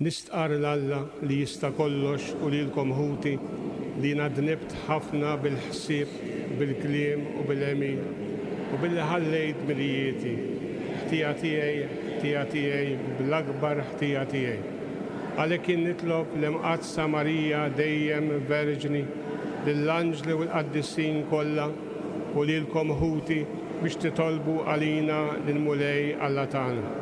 Nistqar 'l Alla li jista' kollox u lilkom ħuti li jiena dnibt ħafna bil-ħsieb, bil-kliem u bil-għemil u billi ħallejt dmirijieti. Ħtija tiegħi, ħtija tiegħi, bl-akbar ħtija tiegħi. Għalhekk jien nitlob l-Imqaddsa Marija dejjem Verġni, lill-anġli u l-qaddisin kollha u lilkom ħuti biex titolbu għalina lill-Mulej Alla tagħna.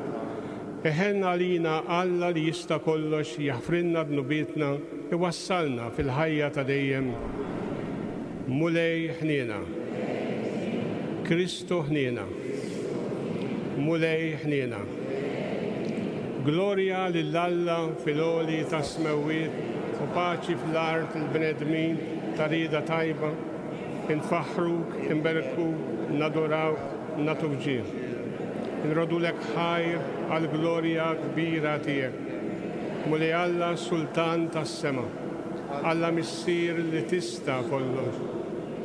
Iħenn għalina Alla li jista' kollox jaħfrilna dnubietna iwassalna fil-ħajja ta' dejjem. Mulej ħniena. Kristu ħniena. Mulej ħniena. Glorja lil Alla fil-għoli tas-smewwiet u paċi fl-art il-bnedmin ta' rieda tajba. Infaħħruk, inberkuk, nadurawk, nagħtuk ġieħ. Nroddulek ħajr għall-glorja kbira tiegħek. Mulej Alla Sultan tas-sema, Alla Missier li tista' kollox,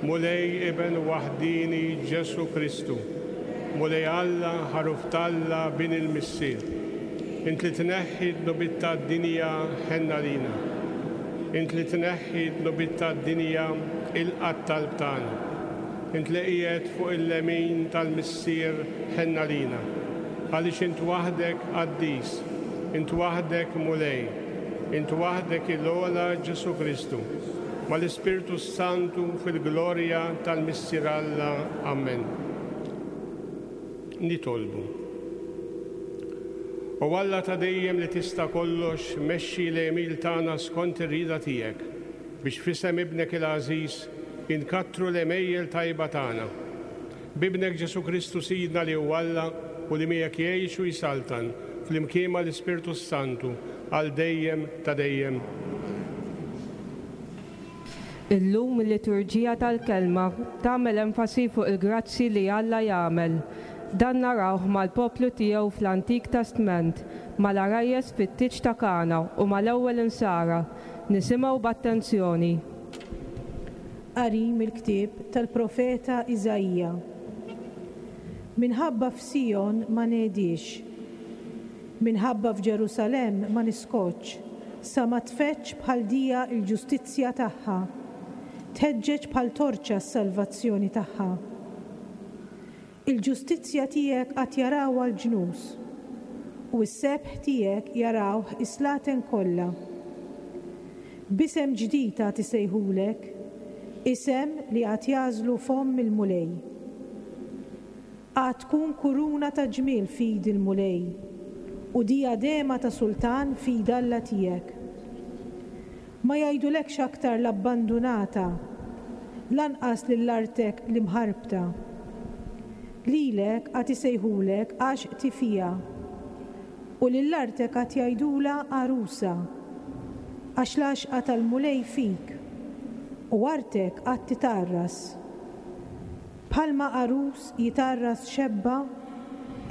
Mulej Iben waħdini Ġesu Kristu, Mulej Alla ħaruf t'Alla bin il-Missier. Int li tneħħi dnubiet tad-dinja ħenn għalina. Int li tneħħi dnubiet tad-dinja ilqa' t-talb tagħna. Int li qiegħed fuq il-lemin tal-Missier ħenn għalina. Għaliex int waħdek qaddis, int waħdek Mulej, int waħdek il-ogħla Ġesu Kristu, mal-Ispirtu Santu fil-glorja tal-Missier Alla. Amen. Nitolbu. O Alla ta' dejjem li tista' kollox, mexxi l-għemil tagħna skont ir-rieda tiegħek, biex f'isem ibnek il-għażiż inkattru l-għemejjel tajba tagħna. B'ibnek Ġesu Kristu Sidna li huwa Alla u li miegħek jgħix u jsaltan flimkien mal-Ispirtu Santu għal dejjem ta' dejjem. Illum il-liturġija tal-kelma tagħmel enfasi fuq il-grazzi li Alla jagħmel. Dan narawh mal-poplu tiegħu fl-Antik Testment, mal-għarajjes fit-tieġ ta' Kana u mal-ewwel insara. Nisimgħu b'attenzjoni. Qari mill-ktieb tal-profeta Iżaija. Minħabba f'Sijon ma ngħedix, minħabba f'Ġerusalemm ma niskotx, sa ma tfeċċ bħal dija l-ġustizzja tagħha, tħeġġeġ bħal torċa s-salvazzjoni tagħha. Il-ġustizzja tiegħek għad jarawha l-ġnus, u s-sebħ tiegħek jarawh is-slaten kollha. B'isem ġdid għad isejħulek, isem li għad jagħżlu fomm il-Mulej. Għad tkun kuruna ta' ġmiel f'id il-Mulej, u dijadema ta' sultan f'id Alla tiegħek. Ma jgħidulekx aktar l-abbandunata, lanqas lill-artek l-imħarbta. Lilek għad isejħulek għax tifija, u lill-artek għad jgħidula għarusa, għax l-għaxqa tal-Mulej fik, u artek għad titarras. Bħalma għarus jitarras xebba,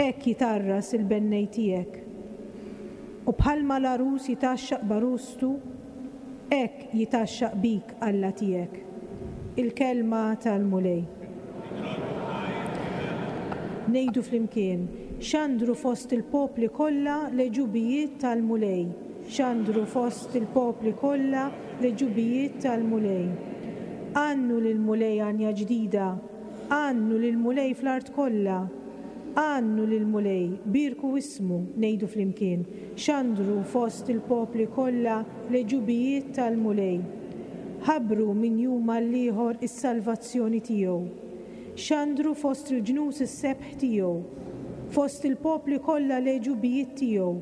hekk jitarras il-bennej tiegħek. U bħalma l-għarus jitgħaxxaq b'għarustu, hekk jitgħaxxaq bik Alla tiegħek. Il-kelma tal-Mulej. Ngħidu flimkien, xandru fost il-popli kollha l-għeġubijiet tal-Mulej. Xandru fost il-popli kollha l-għeġubijiet tal-Mulej. Għannu lill-Mulej għanja ġdida, għannu lill-Mulej fl-art kollha. Għannu lill-Mulej, birku ismu, ngħidu flimkien. Xandru fost il-popli kollha l-għeġubijiet tal-Mulej. Ħabbru minn jum għall-ieħor is-salvazzjoni tiegħu. Xandru fost il-ġnus is-sebħ tiegħu. Fost il-popli kollha l-għeġubijiet tiegħu.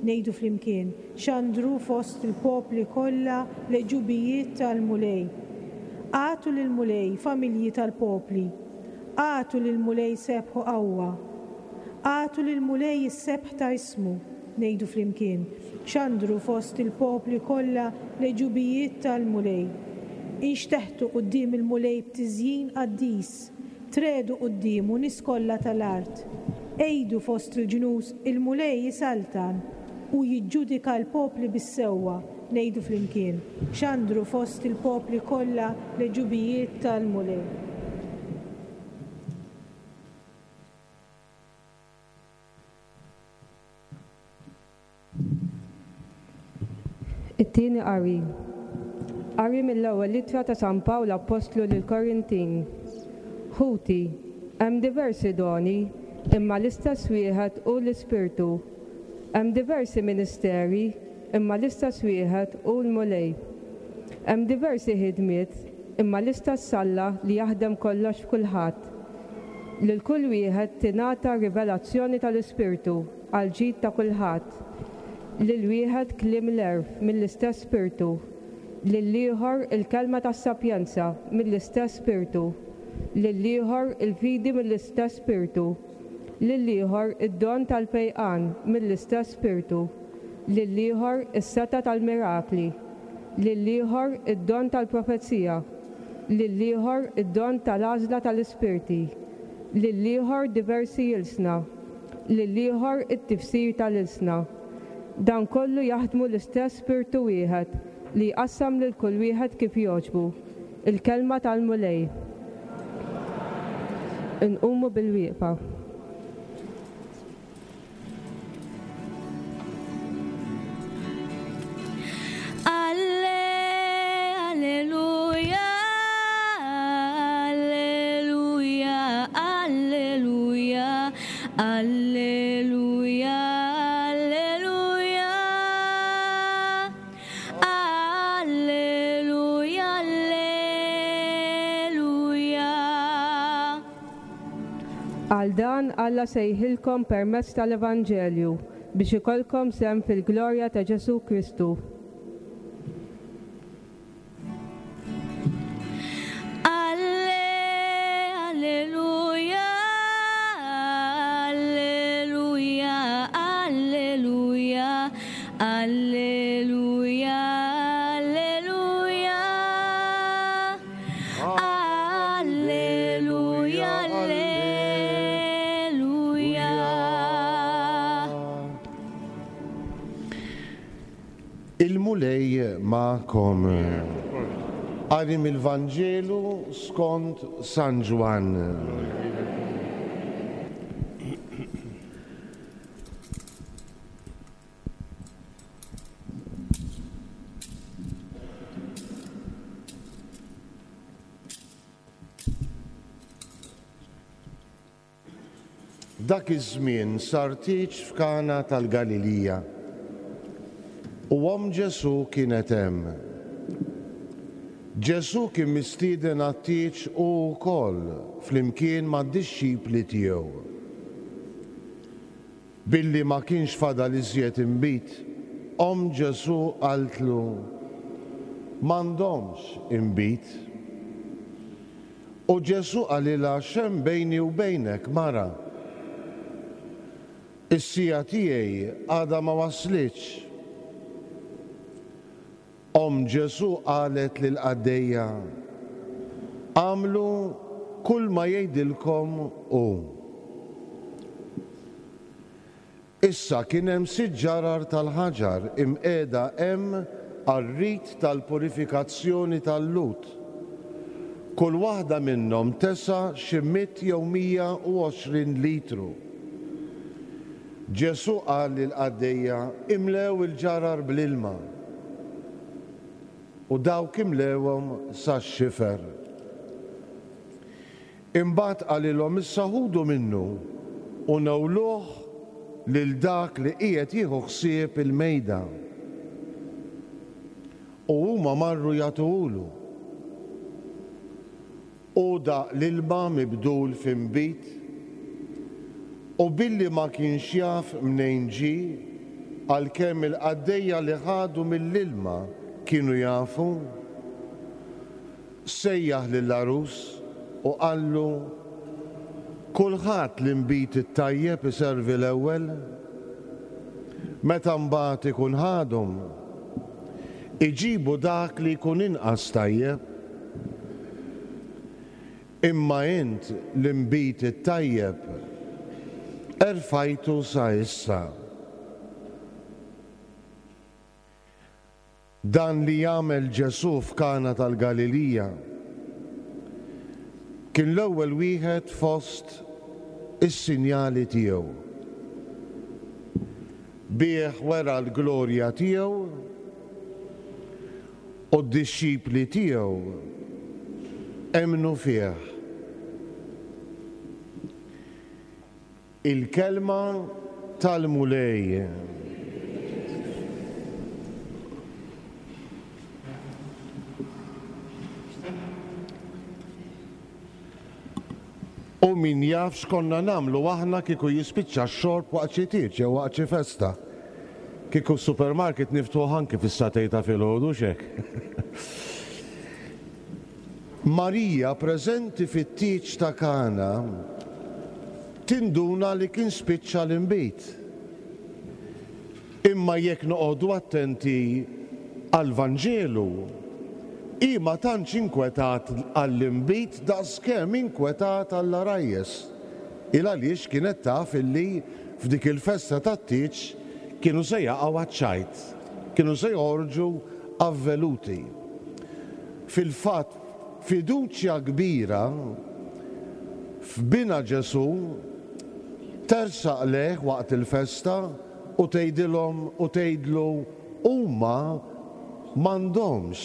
Ngħidu flimkien, xandru fost il-popli kollha l-għeġubijiet tal-Mulej. Agħtu lill-Mulej, familji tal-popli. Agħtu lill-Mulej sebħu qawwa. Agħtu lill-Mulej is-sebħ ta' ismu. Ngħidu flimkien, xandru fost il-popli kollha l-għeġubijiet tal-Mulej. Inxteħtu quddiem il-Mulej b'tiżjin qaddis, tredu quddiemu nies kollha tal-art. Għidu fost il-ġnus il-Mulej jisaltan u jiġġudika l-popli bis-sewwa. Ngħidu flimkien, xandru fost il-popli kollha l-għeġubijiet tal-Mulej. It-tieni qari. Qari mill-ewwel ittra ta' San Pawl Appostlu lill-Korintin. Ħuti, hemm diversi doni, imma l-istess wieħed hu l-Ispirtu. Hemm diversi ministeri, imma l-istess wieħed hu l-Mulej. Hemm diversi ħidmiet, imma l-istess Alla li jaħdem kollox f'kulħadd. Lil kull wieħed tingħata rivelazzjoni tal-Ispirtu għall-ġid ta' kulħadd. Lil wieħed kliem l-għerf mill-istess Spirtu, lil ieħor il-kelma tas-sapjenza mill-istess Spirtu, lil ieħor il-fidi mill-istess Spirtu, lil ieħor id-don tal-fejqan mill-istess Spirtu, lil ieħor is-setgħa tal-mirakli, lil ieħor id-don tal-profezija, lil ieħor id-don tal-għażla tal-ispirti, lil ieħor diversi ilsna, lil ieħor it-tifsir tal-ilsna. Dan kollu jaħdmu l-istess Spirtu wieħed li jqassam lil kull wieħed kif jogħġbu. Il-kelma tal-Mulej. Inqumu bil-wieqfa. Alleluja, alleluja, alleluja, alleluja, alleluja, alleluja, alleluja. Għal dan Alla sejħilkom permezz tal-Evanġelju biex ikollkom sehem fil-glorja ta' Ġesù Kristu. Alleluja, alleluja, alleluja, alleluja, alleluja, alleluja, alleluja. Il-Mulej magħkom. Qari mill-Vanġelu skont San Ġwann. Dak iż-żmien sar tieġ f'Kana tal-Galilija u omm Ġesù kienet hemm. Ġesù kien mistieden għat-tieġ hu wkoll flimkien mad-dixxipli tiegħu. Billi ma kienx fadal iżjed inbid, omm Ġesù qaltlu, m'għandhomx inbid. U Ġesù qalilha, x'hemm bejni u bejnek, mara? Is-siegħa tiegħi għadha ma waslitx. Omm Ġesù qalet lill-qaddejja, għamlu kull ma jgħidilkom hu. Issa kien hemm sitt ġarar tal-ħaġar imqiegħda hemm għar-rit tal-purifikazzjoni tal-Lhud. Kull waħda minnhom tesa' xi mitt jew mija u għoxrin litru. Ġesù qal lill-qaddejja, imlew il-ġarar bl-ilma. U dawk imlewhom sax-xifer. Imbagħad qalilhom, issa ħudu minnu u newluh lil dak li qiegħed jieħu ħsieb il-mejda. U huma marru jagħtuhulu. U daq l-ilma mibdul f'inbid, u billi ma kienx jaf mnejn ġie, għalkemm il-qaddejja li ħadu mill-ilma kienu jafu, sejjaħ lill-għarus u qallu, kulħadd l-inbid it-tajjeb iservi l-ewwel, meta mbagħad ikun ħadhom, iġibu dak li jkun inqas tajjeb. Imma int l-inbid it-tajjeb erfajtu sa issa. Dan li jagħmel Ġesù f'Kana tal-Galilija kien l-ewwel wieħed fost is-sinjali tiegħu. Bih wera l-glorja tiegħu U d-dixxipli tiegħu emmnu fih. Il-kelma tal-Mulej. U min jaf x'konna nagħmlu aħna kieku jispiċċa x-xorb waqt xi tieġ jew waqt xi festa. Kieku s-supermarket niftuħ anki fis-sagħtejn ta' filgħodu x'hekk. Marija preżenti fit-tieġ ta' Kana tinduna li kien spiċċa l-inbid. Imma jekk noqogħdu attenti għall-Vanġelu, hi ma tantx inkwetat għall-inbid daqskemm inkwetat għall-għarajjes. Il għaliex kienet taf illi f'dik il-festa tat-tieġ kienu se jaqgħu għaċ-ċajt, kienu se joħorġu avveluti. Fil-fatt, fiduċja kbira f'bina Ġesù tersaq lejh waqt il-festa u tgħidilhom u tgħidlu huma m'għandhomx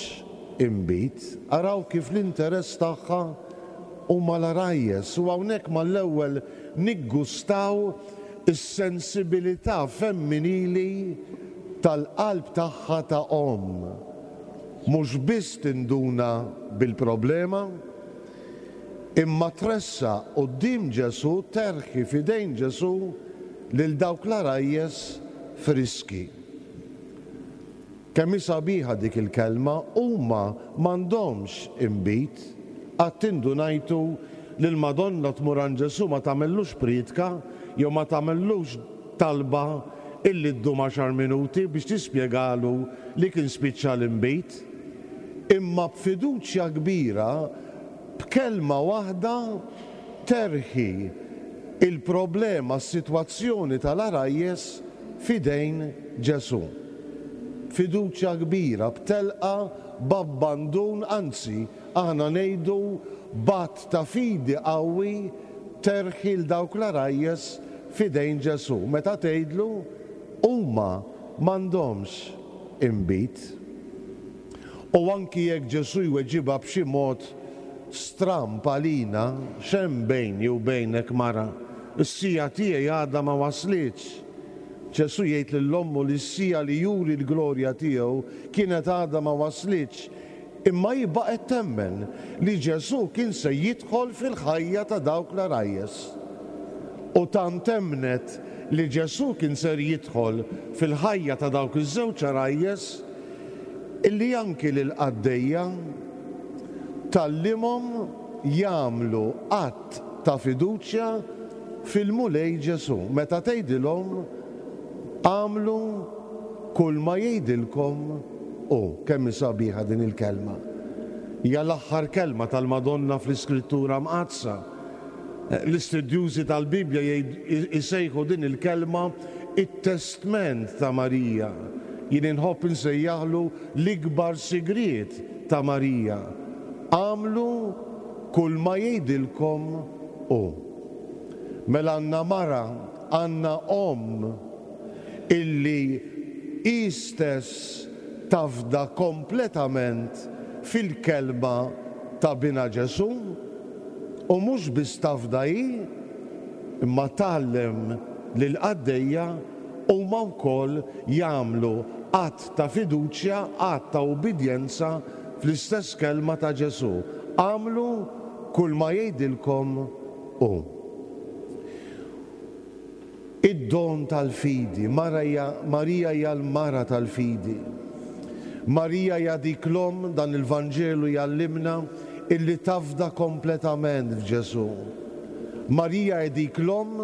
inbid. Araw kif l-interess tagħha huma l-għarajjes u hawnhekk mal-ewwel niggustaw is-sensibilità femminili tal-qalb tagħha ta' omm. Mhux biss tinduna bil-problema, imma tressaq quddiem Ġesù, terħi f'idejn Ġesù lil dawk l-għarajjes friski. Kemm hi sabiħa dik il-kelma, huma m'għandhomx inbid. Qatt indunajtu li l-Madonna tmur għand Ġesù ma tagħmellux prietka jew ma tagħmellux talba illi ddum għaxar minuti biex tispjegalu li kien spiċċa l-inbid, imma b'fiduċja kbira, b'kelma waħda terħi il-problema, s-sitwazzjoni tal-għarajjes f'idejn Ġesù. Fiduċja kbira, b'telqa, b'abbandun, anzi, aħna ngħidu b'att ta' fidi qawwi terħi l dawk l-għarajjes f'idejn Ġesù. Meta tgħidlu huma m'għandhomx inbid. U anki jekk Ġesù jweġibha b'xi mod stramb għalina, x'hemm bejni u bejnek mara, is-sija tiegħi għadha ma waslitx. Ġesù jgħid lil ommu li s-sija li juri l-glorja tiegħu kienet għadha ma waslitx, imma hi baqgħet temmen li Ġesù kien se jidħol fil-ħajja ta' dawk l-għarajjes. U tant temnet li Ġesù kien ser jidħol fil-ħajja ta' dawk iż-żewġ għarajjes illi anki lill-qaddejja tgħallimhom jagħmlu att ta' fiduċja fil-Mulej Ġesù. Meta tgħidilhom għamlu kull ma jgħidilkom hu. Kemm hi sabiħa din il-kelma. Hija l-aħħar kelma tal-Madonna fl-Iskrittura Mqaddsa. L-istudjużi tal-Bibja jsejħu din il-kelma it-testment ta' Marija. Jien inħobb insejjaħlu l-ikbar sigriet ta' Marija. Għamlu kull ma jgħidilkom hu. Mela għandna mara, għandna omm illi hi stess tafda kompletament fil-kelma ta' bina Ġesù, u mhux biss tafda hi, imma tgħallem lill-qaddejja huma wkoll jagħmlu att ta' fiduċja, att ta' ubbidjenza fl-istess kelma ta' Ġesù. Għamlu kull ma jgħidilkom hu. Id-don tal-fidi, Marija, Marija hija l-mara tal-fidi. Marija hija dik l-omm, dan il-Vanġelu jgħallimna illi tafda kompletament f'Ġesù. Marija hija dik l-omm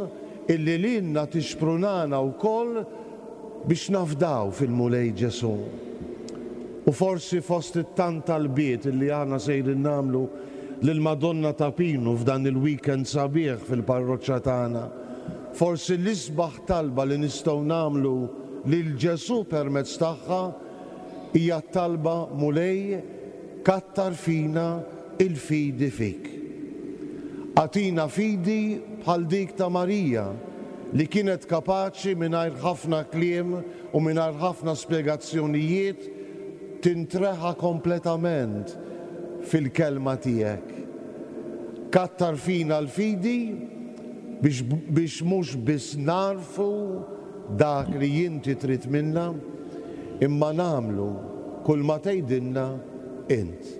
illi lilna tixprunana wkoll biex nafdaw fil-Mulej Ġesù. U forsi fost it-tant talbiet illi aħna sejrin nagħmlu lill-Madonna ta' Pinu f'dan il-weekend sabiħ fil-parroċċa tagħna, forsi l-isbaħ talba li nistgħu nagħmlu lil Ġesù permezz tagħha hija t-talba Mulej kattar fina il-fidi fik. Agħtina fidi bħal dik ta' Marija li kienet kapaċi mingħajr ħafna kliem u mingħajr ħafna spjegazzjonijiet tintreħa kompletament fil-kelma tiegħek. Kattar fina l-fidi biex, biex mhux biss narfu dak li inti trid minna, imma nagħmlu kull ma tgħidilna int.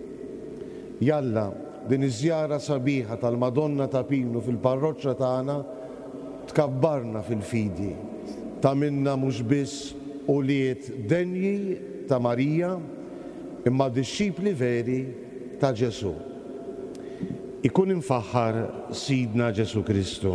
Jalla, din iż-żjara sabiħa tal-Madonna ta' Pinu fil-parroċċa tagħna tkabbarna fil-fidi, tagħmilna mhux biss ulied denji ta' Marija, imma dixxipli veri ta' Ġesù. Ikun imfaħħar Sidna Ġesù Kristu.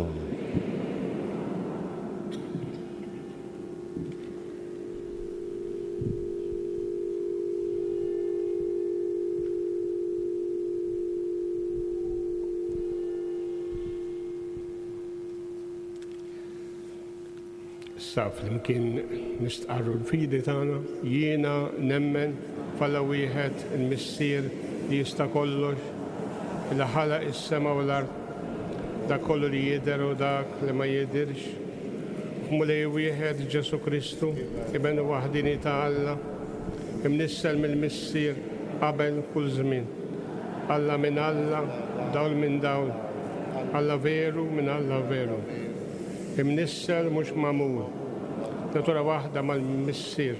Issa flimkien nistqarru l-fidi tagħna, jiena nemmen f'Alla wieħed il-Missier li jista' kollox, li ħalaq is-sema u l-art, dak kollu li jidher u dak li ma jidhirx. F'Mulej wieħed Ġesù Kristu, Iben waħdini ta' Alla, imnissel mill-Missier qabel kull żmien. Alla minn Alla, dawl minn dawl, Alla veru minn Alla veru. Imnissel mhux magħmul, natura waħda mal-Missier,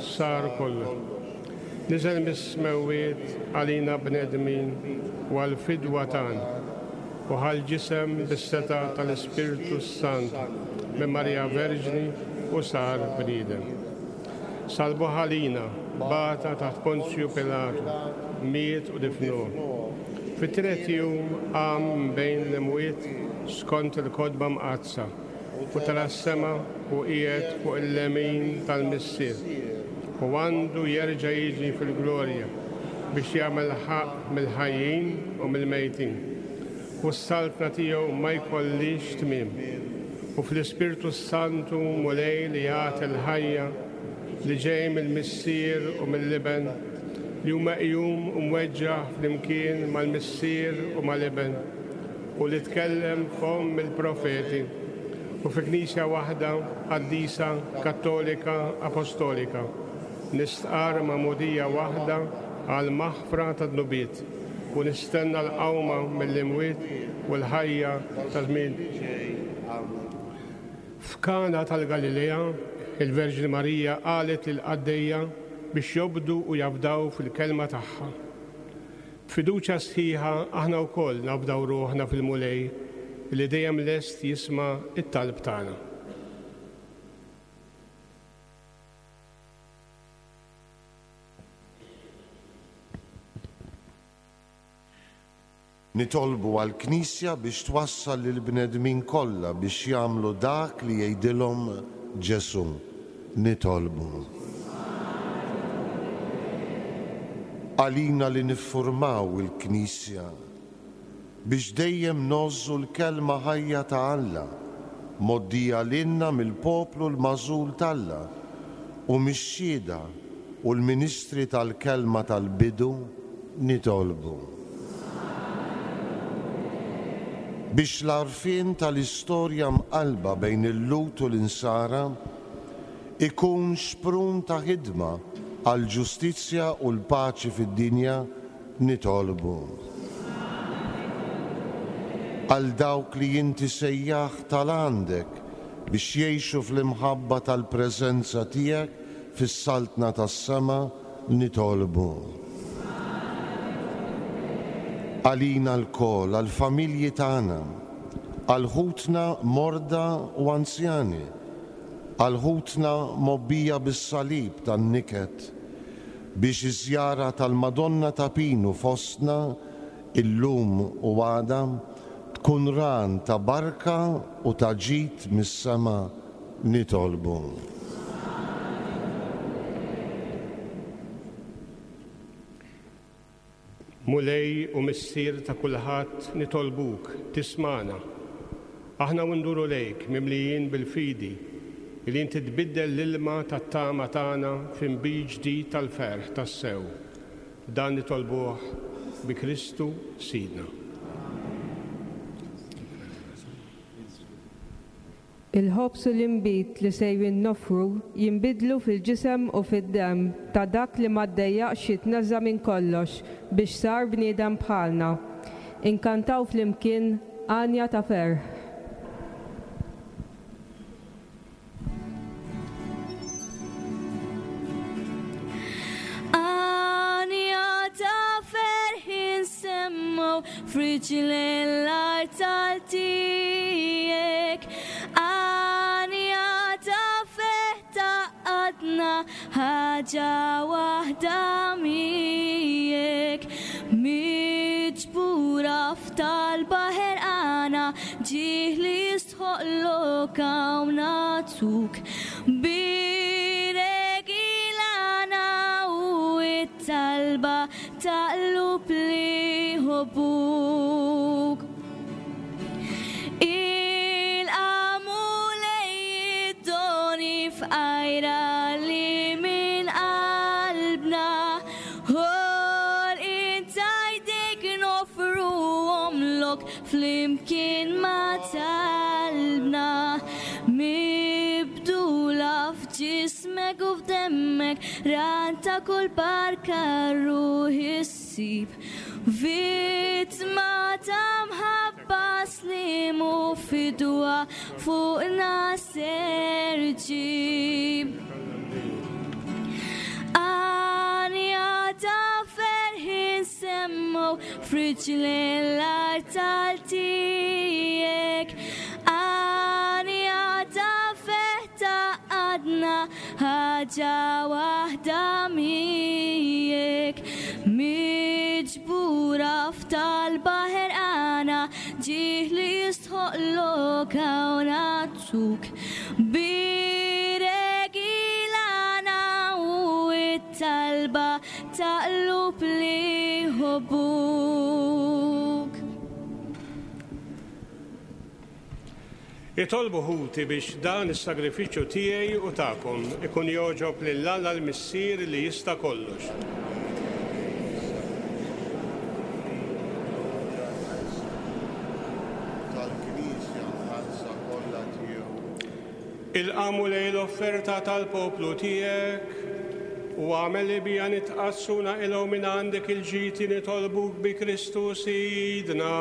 sar kollu. Niżel mis-smewwiet għalina bnedmin u għall-fidwa tagħna, u ħa l-ġisem bis-setgħa tal-Ispirtu s-Santu minn Marija Verġni u sar bniedem. Salbuh għalina, bata taħt Ponzju Pilatu, miet u difnuh. Fit-tielet jum qam bejn l-imwiet skont il-kotba mqaddsa, u tela' s-sema u qiegħed fuq il-lemin tal-Missier, u għandu jerġa' jiġi fil-glorja biex jagħmel ħaqq mill-ħajjin u mill-mejtin. U s-saltna tiegħu ma jkollix tmiem. U fl-Ispirtu s-Santu Mulej li jagħti l-ħajja li ġej mill-Missier u mill-Iben, li huma meqjum u mweġġaħ flimkien mal-Missier u mal-Iben, u li tkellem fomm il-profeti, u fi Knisja waħda qaddisa, Kattolika, Apostolika, nistqar magħmudija waħda għal maħfra ta' dnubiet, u nistenna l-qawma mill-imwiet u l-ħajja ta' żmien. F'Kana tal-Galilea, il-Verġni Marija qalet lill-qaddejja biex jobdu u jafdaw fil-kelma tagħha. B'fiduċja sħiħa aħna wkoll nafdaw ruħna fil-Mulej li dejjem lest jisma' it-talb tagħna. Nitolbu għall-Knisja biex twassal lill-bnedmin kollha biex jagħmlu dak li jgħidilhom Ġesù. Nitolbu. Għalina li niffurmaw il-Knisja biex dejjem ngħożżu l-kelma ħajja ta' Alla, mgħoddija lilna mill-poplu l-magħżul t'Alla u mix-xhieda u l-ministri tal-kelma tal-bidu, nitolbu. Biex l-għarfien tal-istorja mqalba bejn il-Lhud u l-Insara ikun xprun ta' ħidma għall-ġustizzja u l-paċi fid-dinja, nitolbu. Għal dawk li inti sejjaħ tal-għandek biex jgħixu fl-imħabba tal-preżenza tiegħek fis-saltna tas-sema, nitolbu. Għalina lkoll, għall-familji tagħna, għal ħutna morda u anzjani, għal ħutna mobbija bis-salib tan-niket, biex iż-żjara tal-Madonna ta' Pinu fostna illum u għada tkun ran ta' barka u ta' ġid mis-sema, nitolbu. Mulej u Missier ta' kulħadd, nitolbuk, tismana. Aħna nduru lejk mimlijin bil-fidi li inti tbiddel l-ilma tat-tama tagħna f'inbid ġdid tal-ferħ tas-sew. Dan nitolbuh bi Kristu Sidna. Il-ħobż u l-inbid li sejrin noffru jinbidlu fil-ġisem u fid-demm ta' dak li ma ddejjaqx jitneżża' minn kollox biex sar bniedem bħalna. Inkantaw flimkien għanja ta' ferħ. Għanja ta' ferħ insemmu f'riġlejn l-art tal-tiegħek. Għanja ta' ferħ tgħaqqadna ħaġa waħda miegħek. Miġbura f'talba ħerqana ġieħ li jistħoqlok hawn nagħtuk. Bierek ilana u t-talba ta' qlub li jħobbuk. Il-qamu lej id-doni f'qajra li minn qalbna ħolqien ta' jdejk noffruhomlok flimkien ma' talbna. Mibdula f'ġismek u f'demmek ran ta' kull barka ruħ issib. Vittma ta' mħabba slim u fidwa fuqna ser ġib. Għanja ta' ferħ insemmu f'riġlejn l-art tal-tiegħek. Għanja ta' ferħ tgħaqqadna ħaġa waħda miegħek. Miġbura f'talba ħerqana ġieħ li jistħoqlok hawn nagħtuk. Bierek ilana u t-talba ta' qlub li jħobbuk. Itolbu ħuti biex dan is-sagrifiċċju tiegħi u tagħkom ikun jogħġob lil Alla l-Missier li jista' kollox. Tal-Knisja mħallsa kollha tiegħu. Ilqamu lejn l-offerta tal-poplu tiegħek u għamel li bija nitqassu naqilgħu minn għandek il-ġiti nitolbuk bi Kristu Sidna.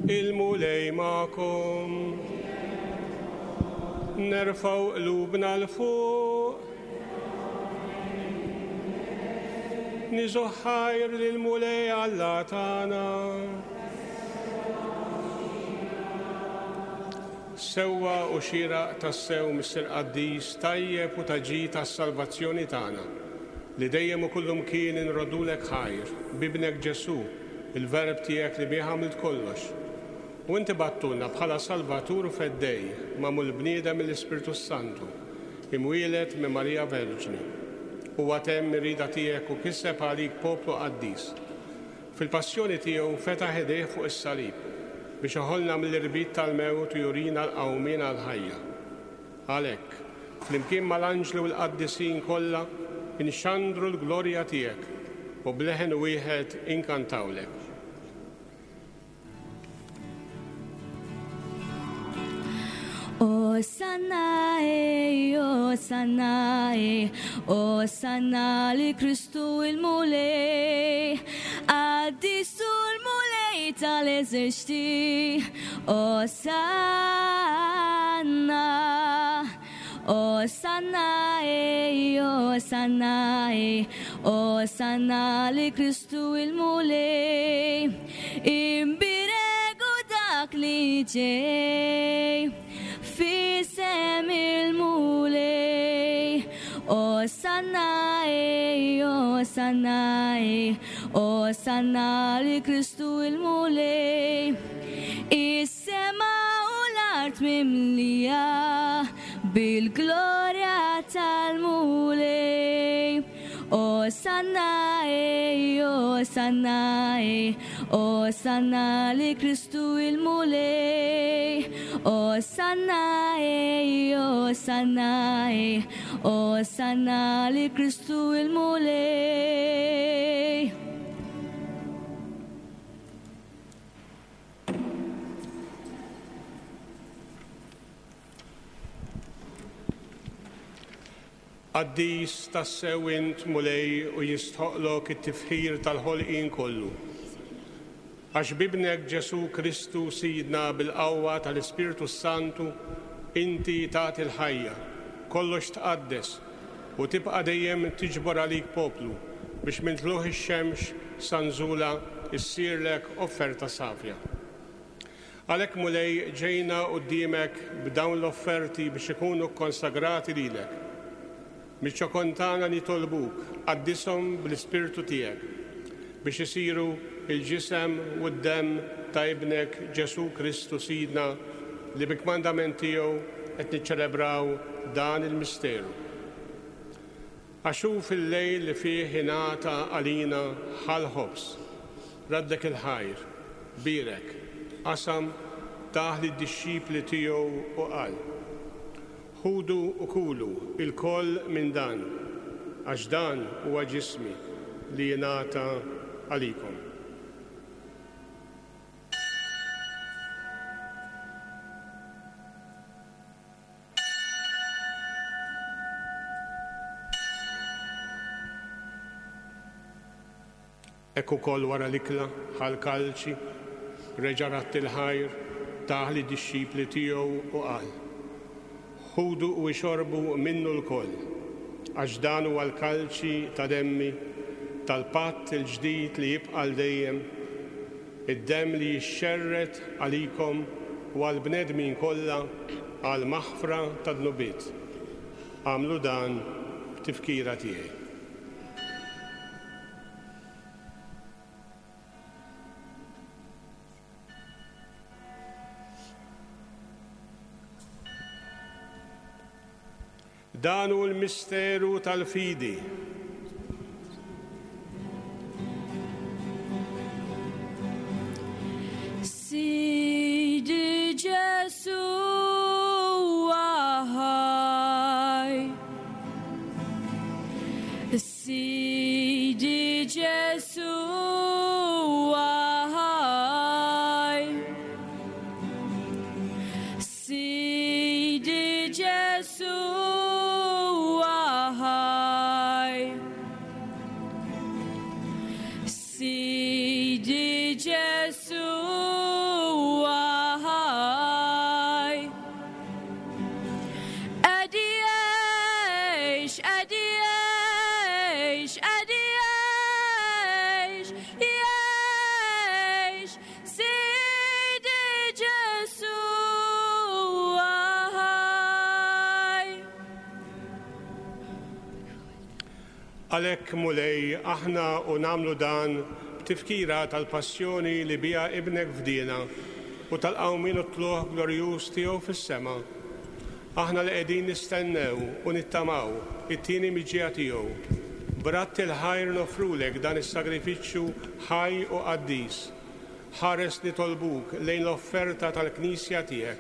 Il-Mulej magħkom. Nerfgħu qlubna 'l fuq. Niżoħħajr lill-Mulej Alla tagħna. Sewwa u xieraq tassew Missier Qaddis tajjeb u ta' ġid tas-salvazzjoni tagħna, li dejjem u kullum kien inroddulek ħajr b'ibnek Ġesù, il-verb tiegħek li bih għamilt kollox. U inti battulna bħala Salvatur u Feddej, magħmul bniedem mill-Ispirtu Santu, imwieled minn Marija Verġni. Huwa temm ir-rieda tiegħek u kiseb għalik poplu qaddis. Fil-passjoni tiegħu fetaħ idejh fuq is-salib biex iħollna mill-irbit tal-mewt u jurina l-qawmien għall-ħajja. Għalhekk, flimkien mal-anġli u l-qaddisin kollha, inxandru l-glorja tiegħek u b'leħen wieħed inkantawlek. Osanna, eh, Osanna, eh, Osanna li Kristu il-Mulej, Qaddisu l-Mulej tal-eżerċti, Osanna, Osanna, eh, Osanna, eh, Osanna li Kristu il-Mulej, imbiregu dak li ġej, f'isem il-Mulej. Osanna, eh, Osanna, eh, Osanna li Kristu il-Mulej. Is-sema u l-art mimlija bil-glorja tal-Mulej. Osanna, eh, Osanna, eh, Osanna li Kristu il-Mulej. Osanna, eh, Osanna, eh, Osanna li Kristu il-Mulej. Qaddis tassew int, Mulej, u jistħoqlok it-tifħir tal-ħolqien kollu. Għax b'Ibnek Ġesù Kristu Sidna bil-qawwa tal-Ispirtu Santu inti tagħti l-ħajja, kollox tqaddes u tibqa' dejjem tiġbor għalik poplu biex minn tlugħ ix-xemx sa nżulha issirlek offerta safja. Għalhekk, Mulej, ġejna quddiemek b'dawn l-offerti biex ikunu kkonsagrati lilek. Miċ-ċokon tagħna nitolbuk, qaddishom bl-Ispirtu tiegħek biex isiru il-ġisem u d-demm ta' Ibnek Ġesù Kristu Sidna li bi kmandament tiegħu qed niċċelebraw dan il-misteru. Għax hu fil-lejl li fih ingħata għalina ħa l-ħobż, raddlek il-ħajr, bierek, qasam, tah lid-dixxipli tiegħu u qal: Ħudu u kulu ilkoll minn dan, għax dan huwa ġismi li jingħata għalikom. Hekk ukoll wara l-ikla ħa l-kalċi, reġa' radd il-ħajr, tah lid-dixxipli tiegħu u qal: Ħudu u ixorbu minnu lkoll, għax dan huwa l-kalċi ta' demmi, tal-patt il-ġdid li jibqa' għal dejjem, id-demm li jixxerred għalikom u għall-bnedmin kollha għal maħfra ta' dnubiet. Agħmlu dan b'tifkira tiegħi. Dan hu l-misteru tal-fidi. Sidi Ġesù ħaj. Sidi Ġesù ħaj. Sidi Ġesù ħaj. Sidi Ġesù ħaj. Qed jgħix, qed jgħix, qed jgħix, jgħix, Sidi Ġesù ħaj. Għalhekk, Mulej, aħna u nagħmlu dan b'tifkira tal-passjoni li biha Ibnek fdiena u tal-qawmien u t-tlugħ glorjuż tiegħu fis-sema. Aħna li qegħdin nistennew u nittamaw it-tieni miġja tiegħu. B'radd il-ħajr nofrulek dan is-sagrifiċċju ħaj u qaddis. Ħares nitolbuk lejn l-offerta tal-Knisja tiegħek.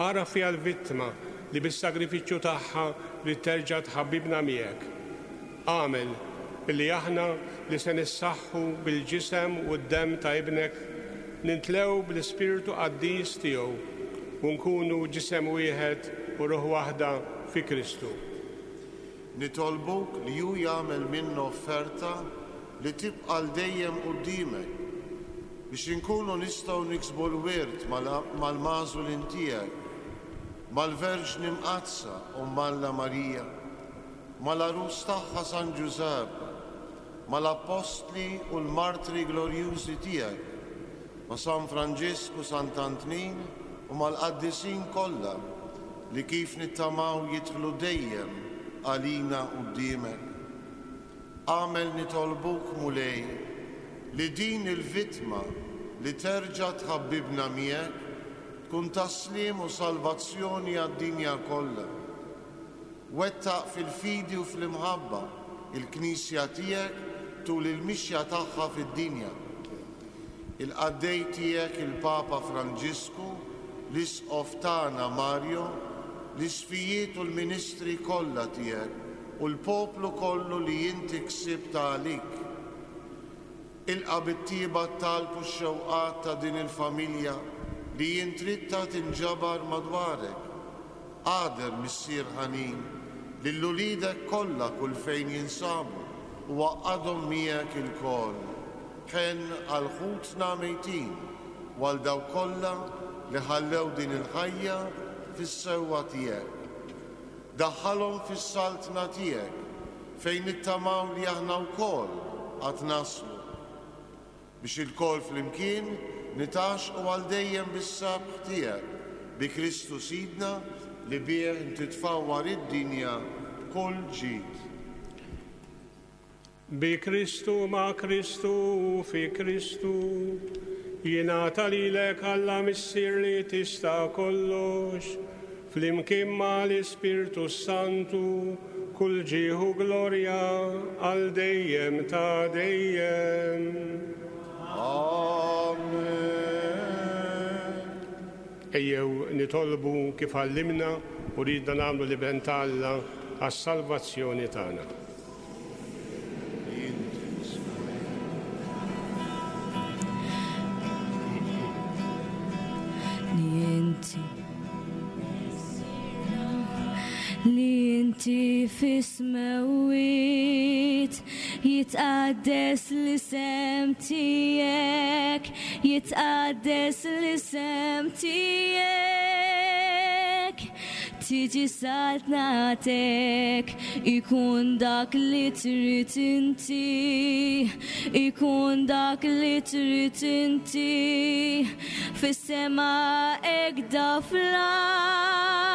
Ara fiha l-vittma li bis-sagrifiċċju tagħha li terġa' tħabbibna miegħek. Agħmel illi aħna li se nissaħħu bil-ġisem u d-demm ta' Ibnek nintlew bl-Ispirtu Qaddis tiegħu u nkunu ġisem wieħed u ruħ waħda fi Kristu. Nitolbuk li hu jagħmel minnu offerta li tibqa' għal dejjem quddiemek biex inkunu nistgħu niksbu l-wirt mal-magħżulin tiegħek, mal-Verġni Mqaddsa u Alla Marija, mal-għarus tagħha San Ġużepp, mal-Appostli u l-martri glorjużi tiegħek, ma' San Franġisku, Sant'Antnin u mal-qaddisin kollha li kif nittamaw jidħlu dejjem għalina quddiemek. Agħmel nitolbuk, Mulej, li din il-vittma li terġa' tħabbibna miegħek tkun ta' sliem u salvazzjoni għad-dinja kollha. Wettaq fil-fidi u fl-imħabba il-Knisja tiegħek tul il-mixja tagħha fid-dinja. Il-qaddej tiegħek il-Papa Franġisku, l-Isqof tagħna Mario, l-isqfijiet u l-ministri kollha tiegħek u l-poplu kollu li inti ksibt għalik. Ilqa' bit-tjieba t-talb u x-xewqat ta' din il-familja li int ridtha tinġabar madwarek. Agħder, Missier ħanin, lil uliedek kollha kull fejn jinsabu u għaqqadhom miegħek ilkoll. Ħenn għal ħutna mejtin u għal dawk kollha li ħallew din il-ħajja fis-sewwa tiegħek. Daħħalhom fis-saltna tiegħek fejn nittamaw li aħna wkoll għad naslu. Biex ilkoll flimkien nitgħaxxqu għal dejjem bis-sabiħ tiegħek bi Kristu Sidna li bih inti tfawwar id-dinja b'kull ġid. Bi Kristu ma' Kristu u fi Kristu jingħata lilek Alla Missier li tista' kollox, flimkien ma' l-Ispirtu Santu, kull ġieħ u glorja għal dejjem ta' dejjem. Amen. Ejjew nitolbu kif għallimna u ridna nagħmlu l-Iben ta' Alla għas-salvazzjoni tagħna. Li inti fis-smewwiet jitqaddes l-isem tiegħek, jitqaddes l-isem tiegħek. Tiġi saltnatek, ikun dak li trid inti, ikun dak li trid inti, fis-sema hekk fl-art.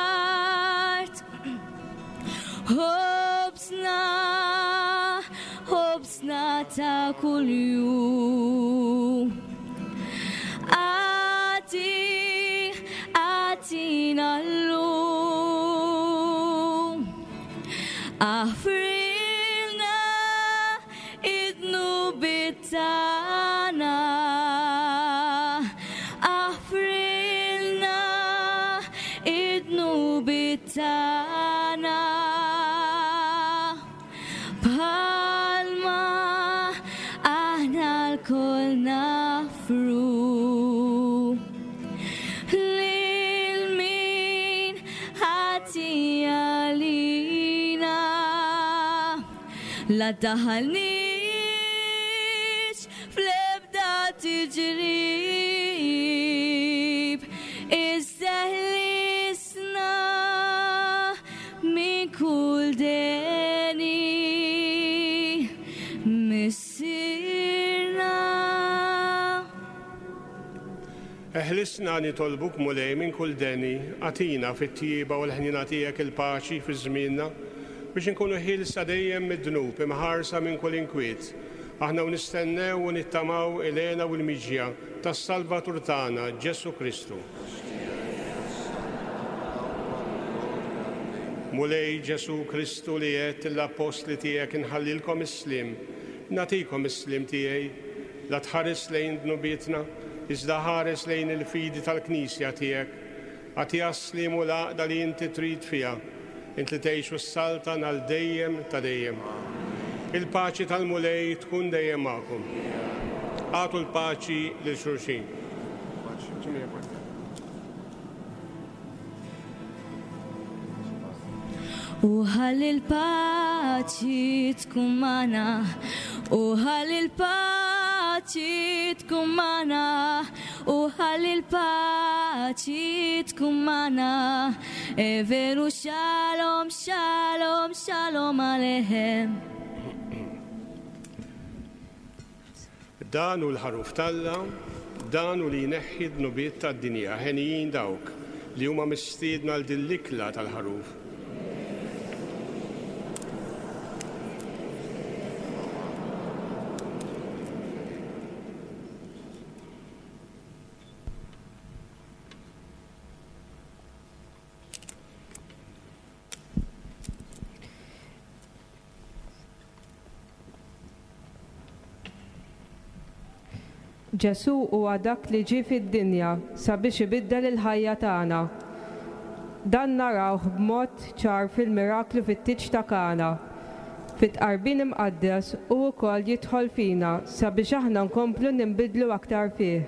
Ħobżna, ħobżna ta' kuljum. Agħti, agħtina llum. Aħfrilna id-dnubiet tagħna. Aħfrilna id-dnubiet tagħna. Bħalma aħna lkoll nafru lil min ħati għalina. La daħalniex fl-ebda tiġrib, iżda ħlisna minn kull deni. Missierna. Eħlisna nitolbuk Mulej minn kull deni, agħtina fit-tjieba u l-ħnina tiegħek il-paċi fi żmienna, biex inkunu ħielsa dejjem mid-dnub, imħarsa minn kull inkwiet. Aħna u nistennew u nittamaw il-hena u l-miġja tas-Salvatur tagħna, Ġesu Kristu. Mulej Ġesu Kristu li għedt l-appostli tiegħek inħallilkom is-sliem, nagħtikom is-sliem tiegħi, la tħares lejn dnubietna, iżda ħares lejn il-fidi tal-Knisja tiegħek. Agħtiha s-sliem u l-għaqda li inti trid fiha, int li tgħix u s-saltan għal dejjem ta' dejjem. Il-paċi tal-Mulej tkun dejjem magħkom. Agħtu l-paċi lil xulxin. U ħalli l-paċi tkun magħna, u ħalli l-paċi tkun magħna, u ħalli l-paċi tkun magħna. E veru shalom, shalom, shalom alehem. Dan hu l-ħaruf t'Alla, dan hu li jneħħi d-dnubiet tad-dinja, henijin dawk li huma mistiedna għal din l-ikla tal-ħaruf. Ġesu huwa dak li ġie fid-dinja sabiex ibiddel il-ħajja tagħna. Dan narawh b'mod ċar fil-miraklu fit-tieġ ta' Kana. Fit-tqarbin imqaddes hu wkoll jidħol fina sabiex aħna nkomplu ninbidlu aktar fih.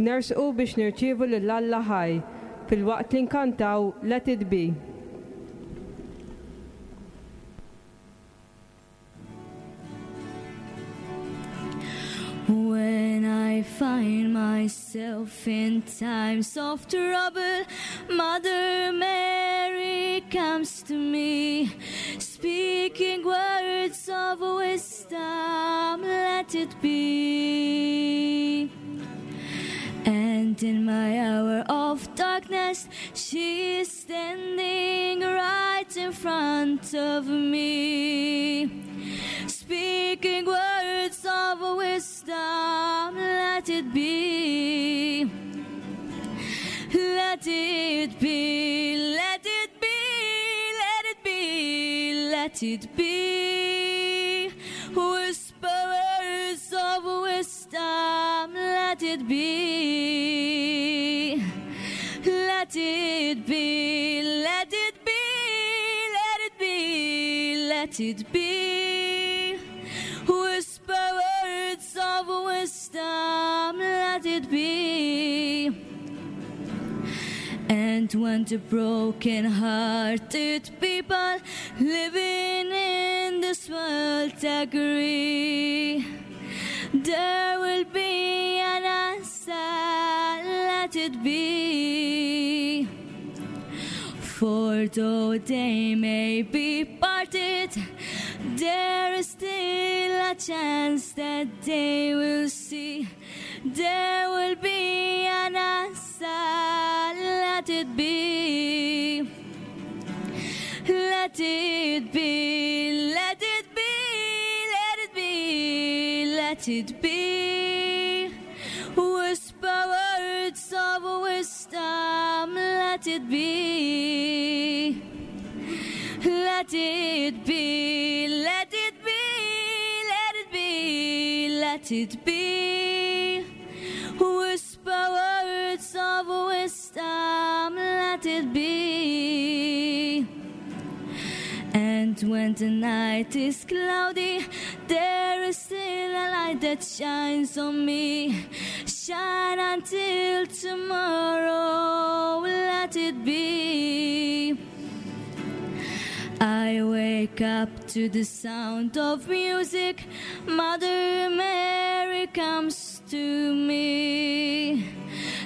Nersqu biex nirċievu lil Alla ħaj filwaqt li nkantaw Let It Be. I find myself in times of trouble, Mother Mary comes to me, speaking words of wisdom, let it be. And in my hour of darkness, she is standing right in front of me, speaking words of wisdom, let it be. Let it be, let it be, let it be, let it be. Whisper words of wisdom, let it be. Let it be, let it be, let it be, let it be. Whisper words of wisdom, let it be. And when the broken-hearted people living in this world agree, there will be an answer, let it be. For though they may be parted, there is still a chance that they will see. There will be an answer, let it be. Let it be, let it be, let it be, let it be. Whisper words of wisdom, let it be. Let it be, let it be, let it be, let it be. Whisper words of wisdom, let it be. And when the night is cloudy, there is still a light that shines on me. Shine until tomorrow, let it be. I wake up to the sound of music. Mother Mary comes to me,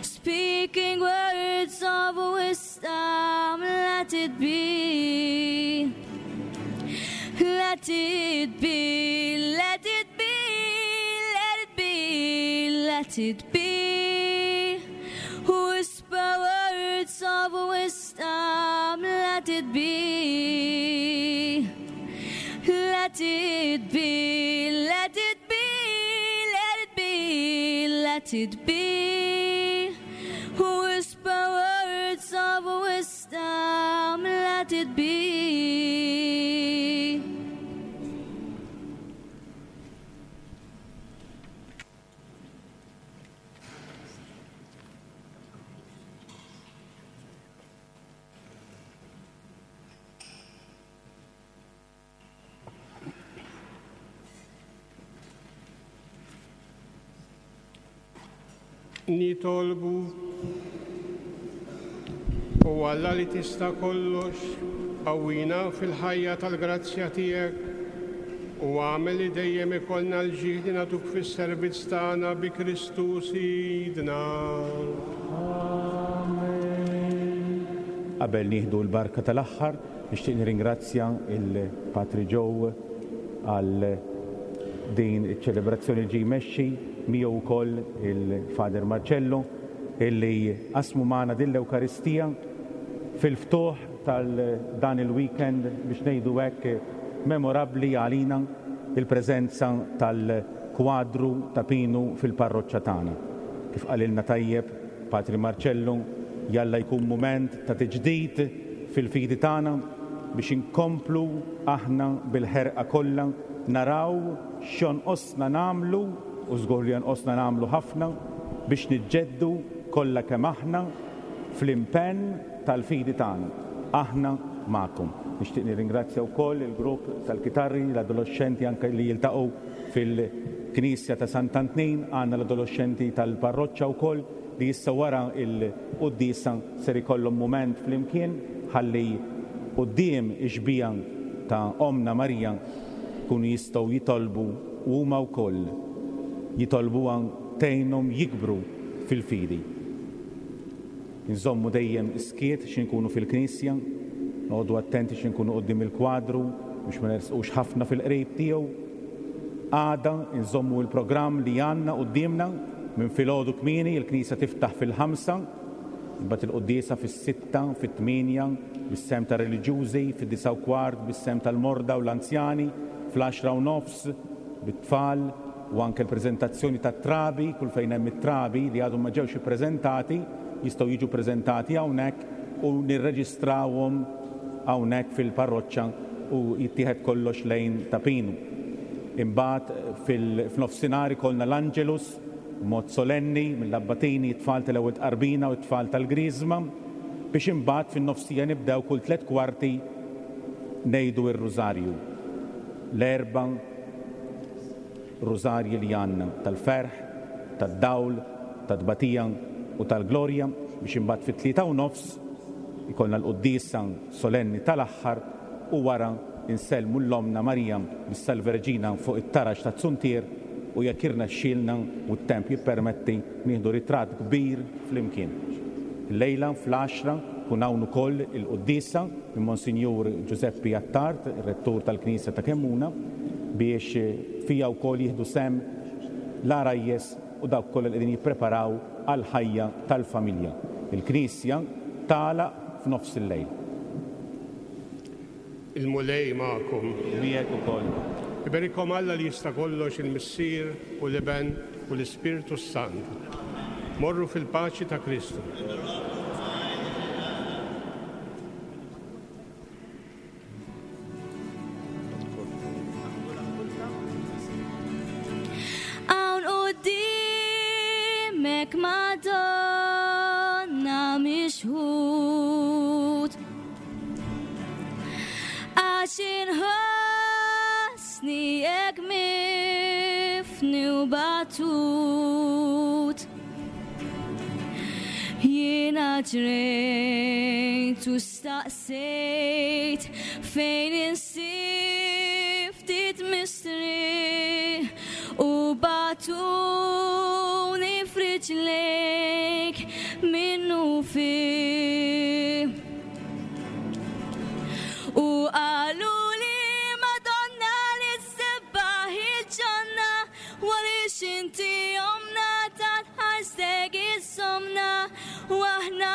speaking words of wisdom, let it be. Let it be, let it be, let it be, let it be. Whisper words of wisdom, let it be. Let it be, let it be, let it be, let it be. Whisper words of wisdom, let it be. Nitolbu u Alla li tista' kollox, qawwina fil-ħajja tal-grazzja tiegħek u għamel li dejjem ikollna l-ġieħ li nagħtuk fis-servizz tagħna bi Kristu Sidna. Amen. Qabel nieħdu l-barka tal-aħħar, nixtieq nirringrazzja il-Patri Joe għal din iċ-ċelebrazzjoni ġie jmexxi miegħu wkoll il-Father Marcello illi qasmu magħna din l-Ewkaristija fil-ftuħ tal-dan il-weekend biex ngħidu hekk memorabbli għalina il-preżenza tal-kwadru ta' Pinu fil-parroċċa tagħna. Kif qalilna tajjeb Patri Marcello, jalla jkun mument ta' tiġdid fil-fidi tagħna biex inkomplu aħna bil-ħerqa kollha naraw x'jonqosna nagħmlu u żgur li jonqosna nagħmlu ħafna biex niġġeddu kollha kemm aħna fl-impenn tal-fidi tagħna. Aħna magħkom. Nixtieq nirringrazzja wkoll il-grupp tal-kitarri, l-adolescenti anke li jiltaqgħu fil-Knisja ta' Sant'Antnin, għandna l-adolescenti tal-parroċċa wkoll li issa wara il-quddiesa ser ikollhom mument flimkien ħalli quddiem ix-xbieha ta' Omna Marija kunu jistgħu jitolbu huma wkoll jitolbuha tgħinhom jikbru fil-fidi. Nżommu dejjem skiet x'inkunu fil-knisja, noqogħdu attenti x'inkunu quddiem il-kwadru biex ma nersqux ħafna fil-qrib tiegħu. Għada nżommu l-programm li għandna quddiemna minn filgħodu kmieni, il-knisja tiftaħ fil-ħamsa, imbagħad il-quddiesa fis-sitta, fit-tmienja, bis-sehem tar-reliġjużi, fid-disgħa u kwart bis-sehem tal-morda u l-anzjani, fl-għaxra u nofs bit-tfal u anke l-preżentazzjoni tat-trabi, kull fejn hemm it-trabi li għadhom ma ġewx ippreżentati, jistgħu jiġu preżentati hawnhekk u nirreġistrawhom hawnhekk fil-parroċċa u jittieħed kollox lejn Ta' Pinu. Imbagħad fil-nofsinhar ikollna l-Angelus mod solenni mill-abbatini, it-tfal tal-ewwel tqarbina u t-tfal tal-Griżma, biex imbagħad fin-nofsija nibdew kull tliet kwarti ngħidu r-Rużarju. L-erba' rużarji li għandna tal-ferħ, tad-dawl, tat-tbatija u tal-glorja, biex imbagħad fit-tlieta u nofs ikollna l-quddiesa solenni tal-aħħar u wara insellmu l-Omna Marija bis-Salve Reġina fuq it-taraġ tat-Zuntier u jekk irnexxielna u t-temp jippermetti nieħdu ritratt kbir flimkien. Illejla fl-għaxra kun hawn ukoll il-quddiesa minn Monsinjur Giuseppe Attard, ir-rettur tal-Knisja ta' Kemmuna, biex fija wkoll jieħdu sehem l-għarajjes u dawk kollha li qegħdin jippreparaw għall-ħajja tal-familja. Il-Knisja tagħlaq f'nofs il-lejl. Il-Mulej magħkom. Miegħek ukoll. Iberikom Alla li jista' kollox, il-Missier u l-Iben u l-Ispirtu s-Santu. Morru fil-paċi ta' Kristu. Hawn qudiemek Madonna mixħut, għax inħossni hekk mifni u batut. Jiena ġrejt u staqsejt fejn insib ftit mistrieħ u batuni f'riġlejk minnu fih. U qalu li Madonna li ssebbaħ il-ġanna, għaliex inti omna ta' tħarsek is-somna, u aħna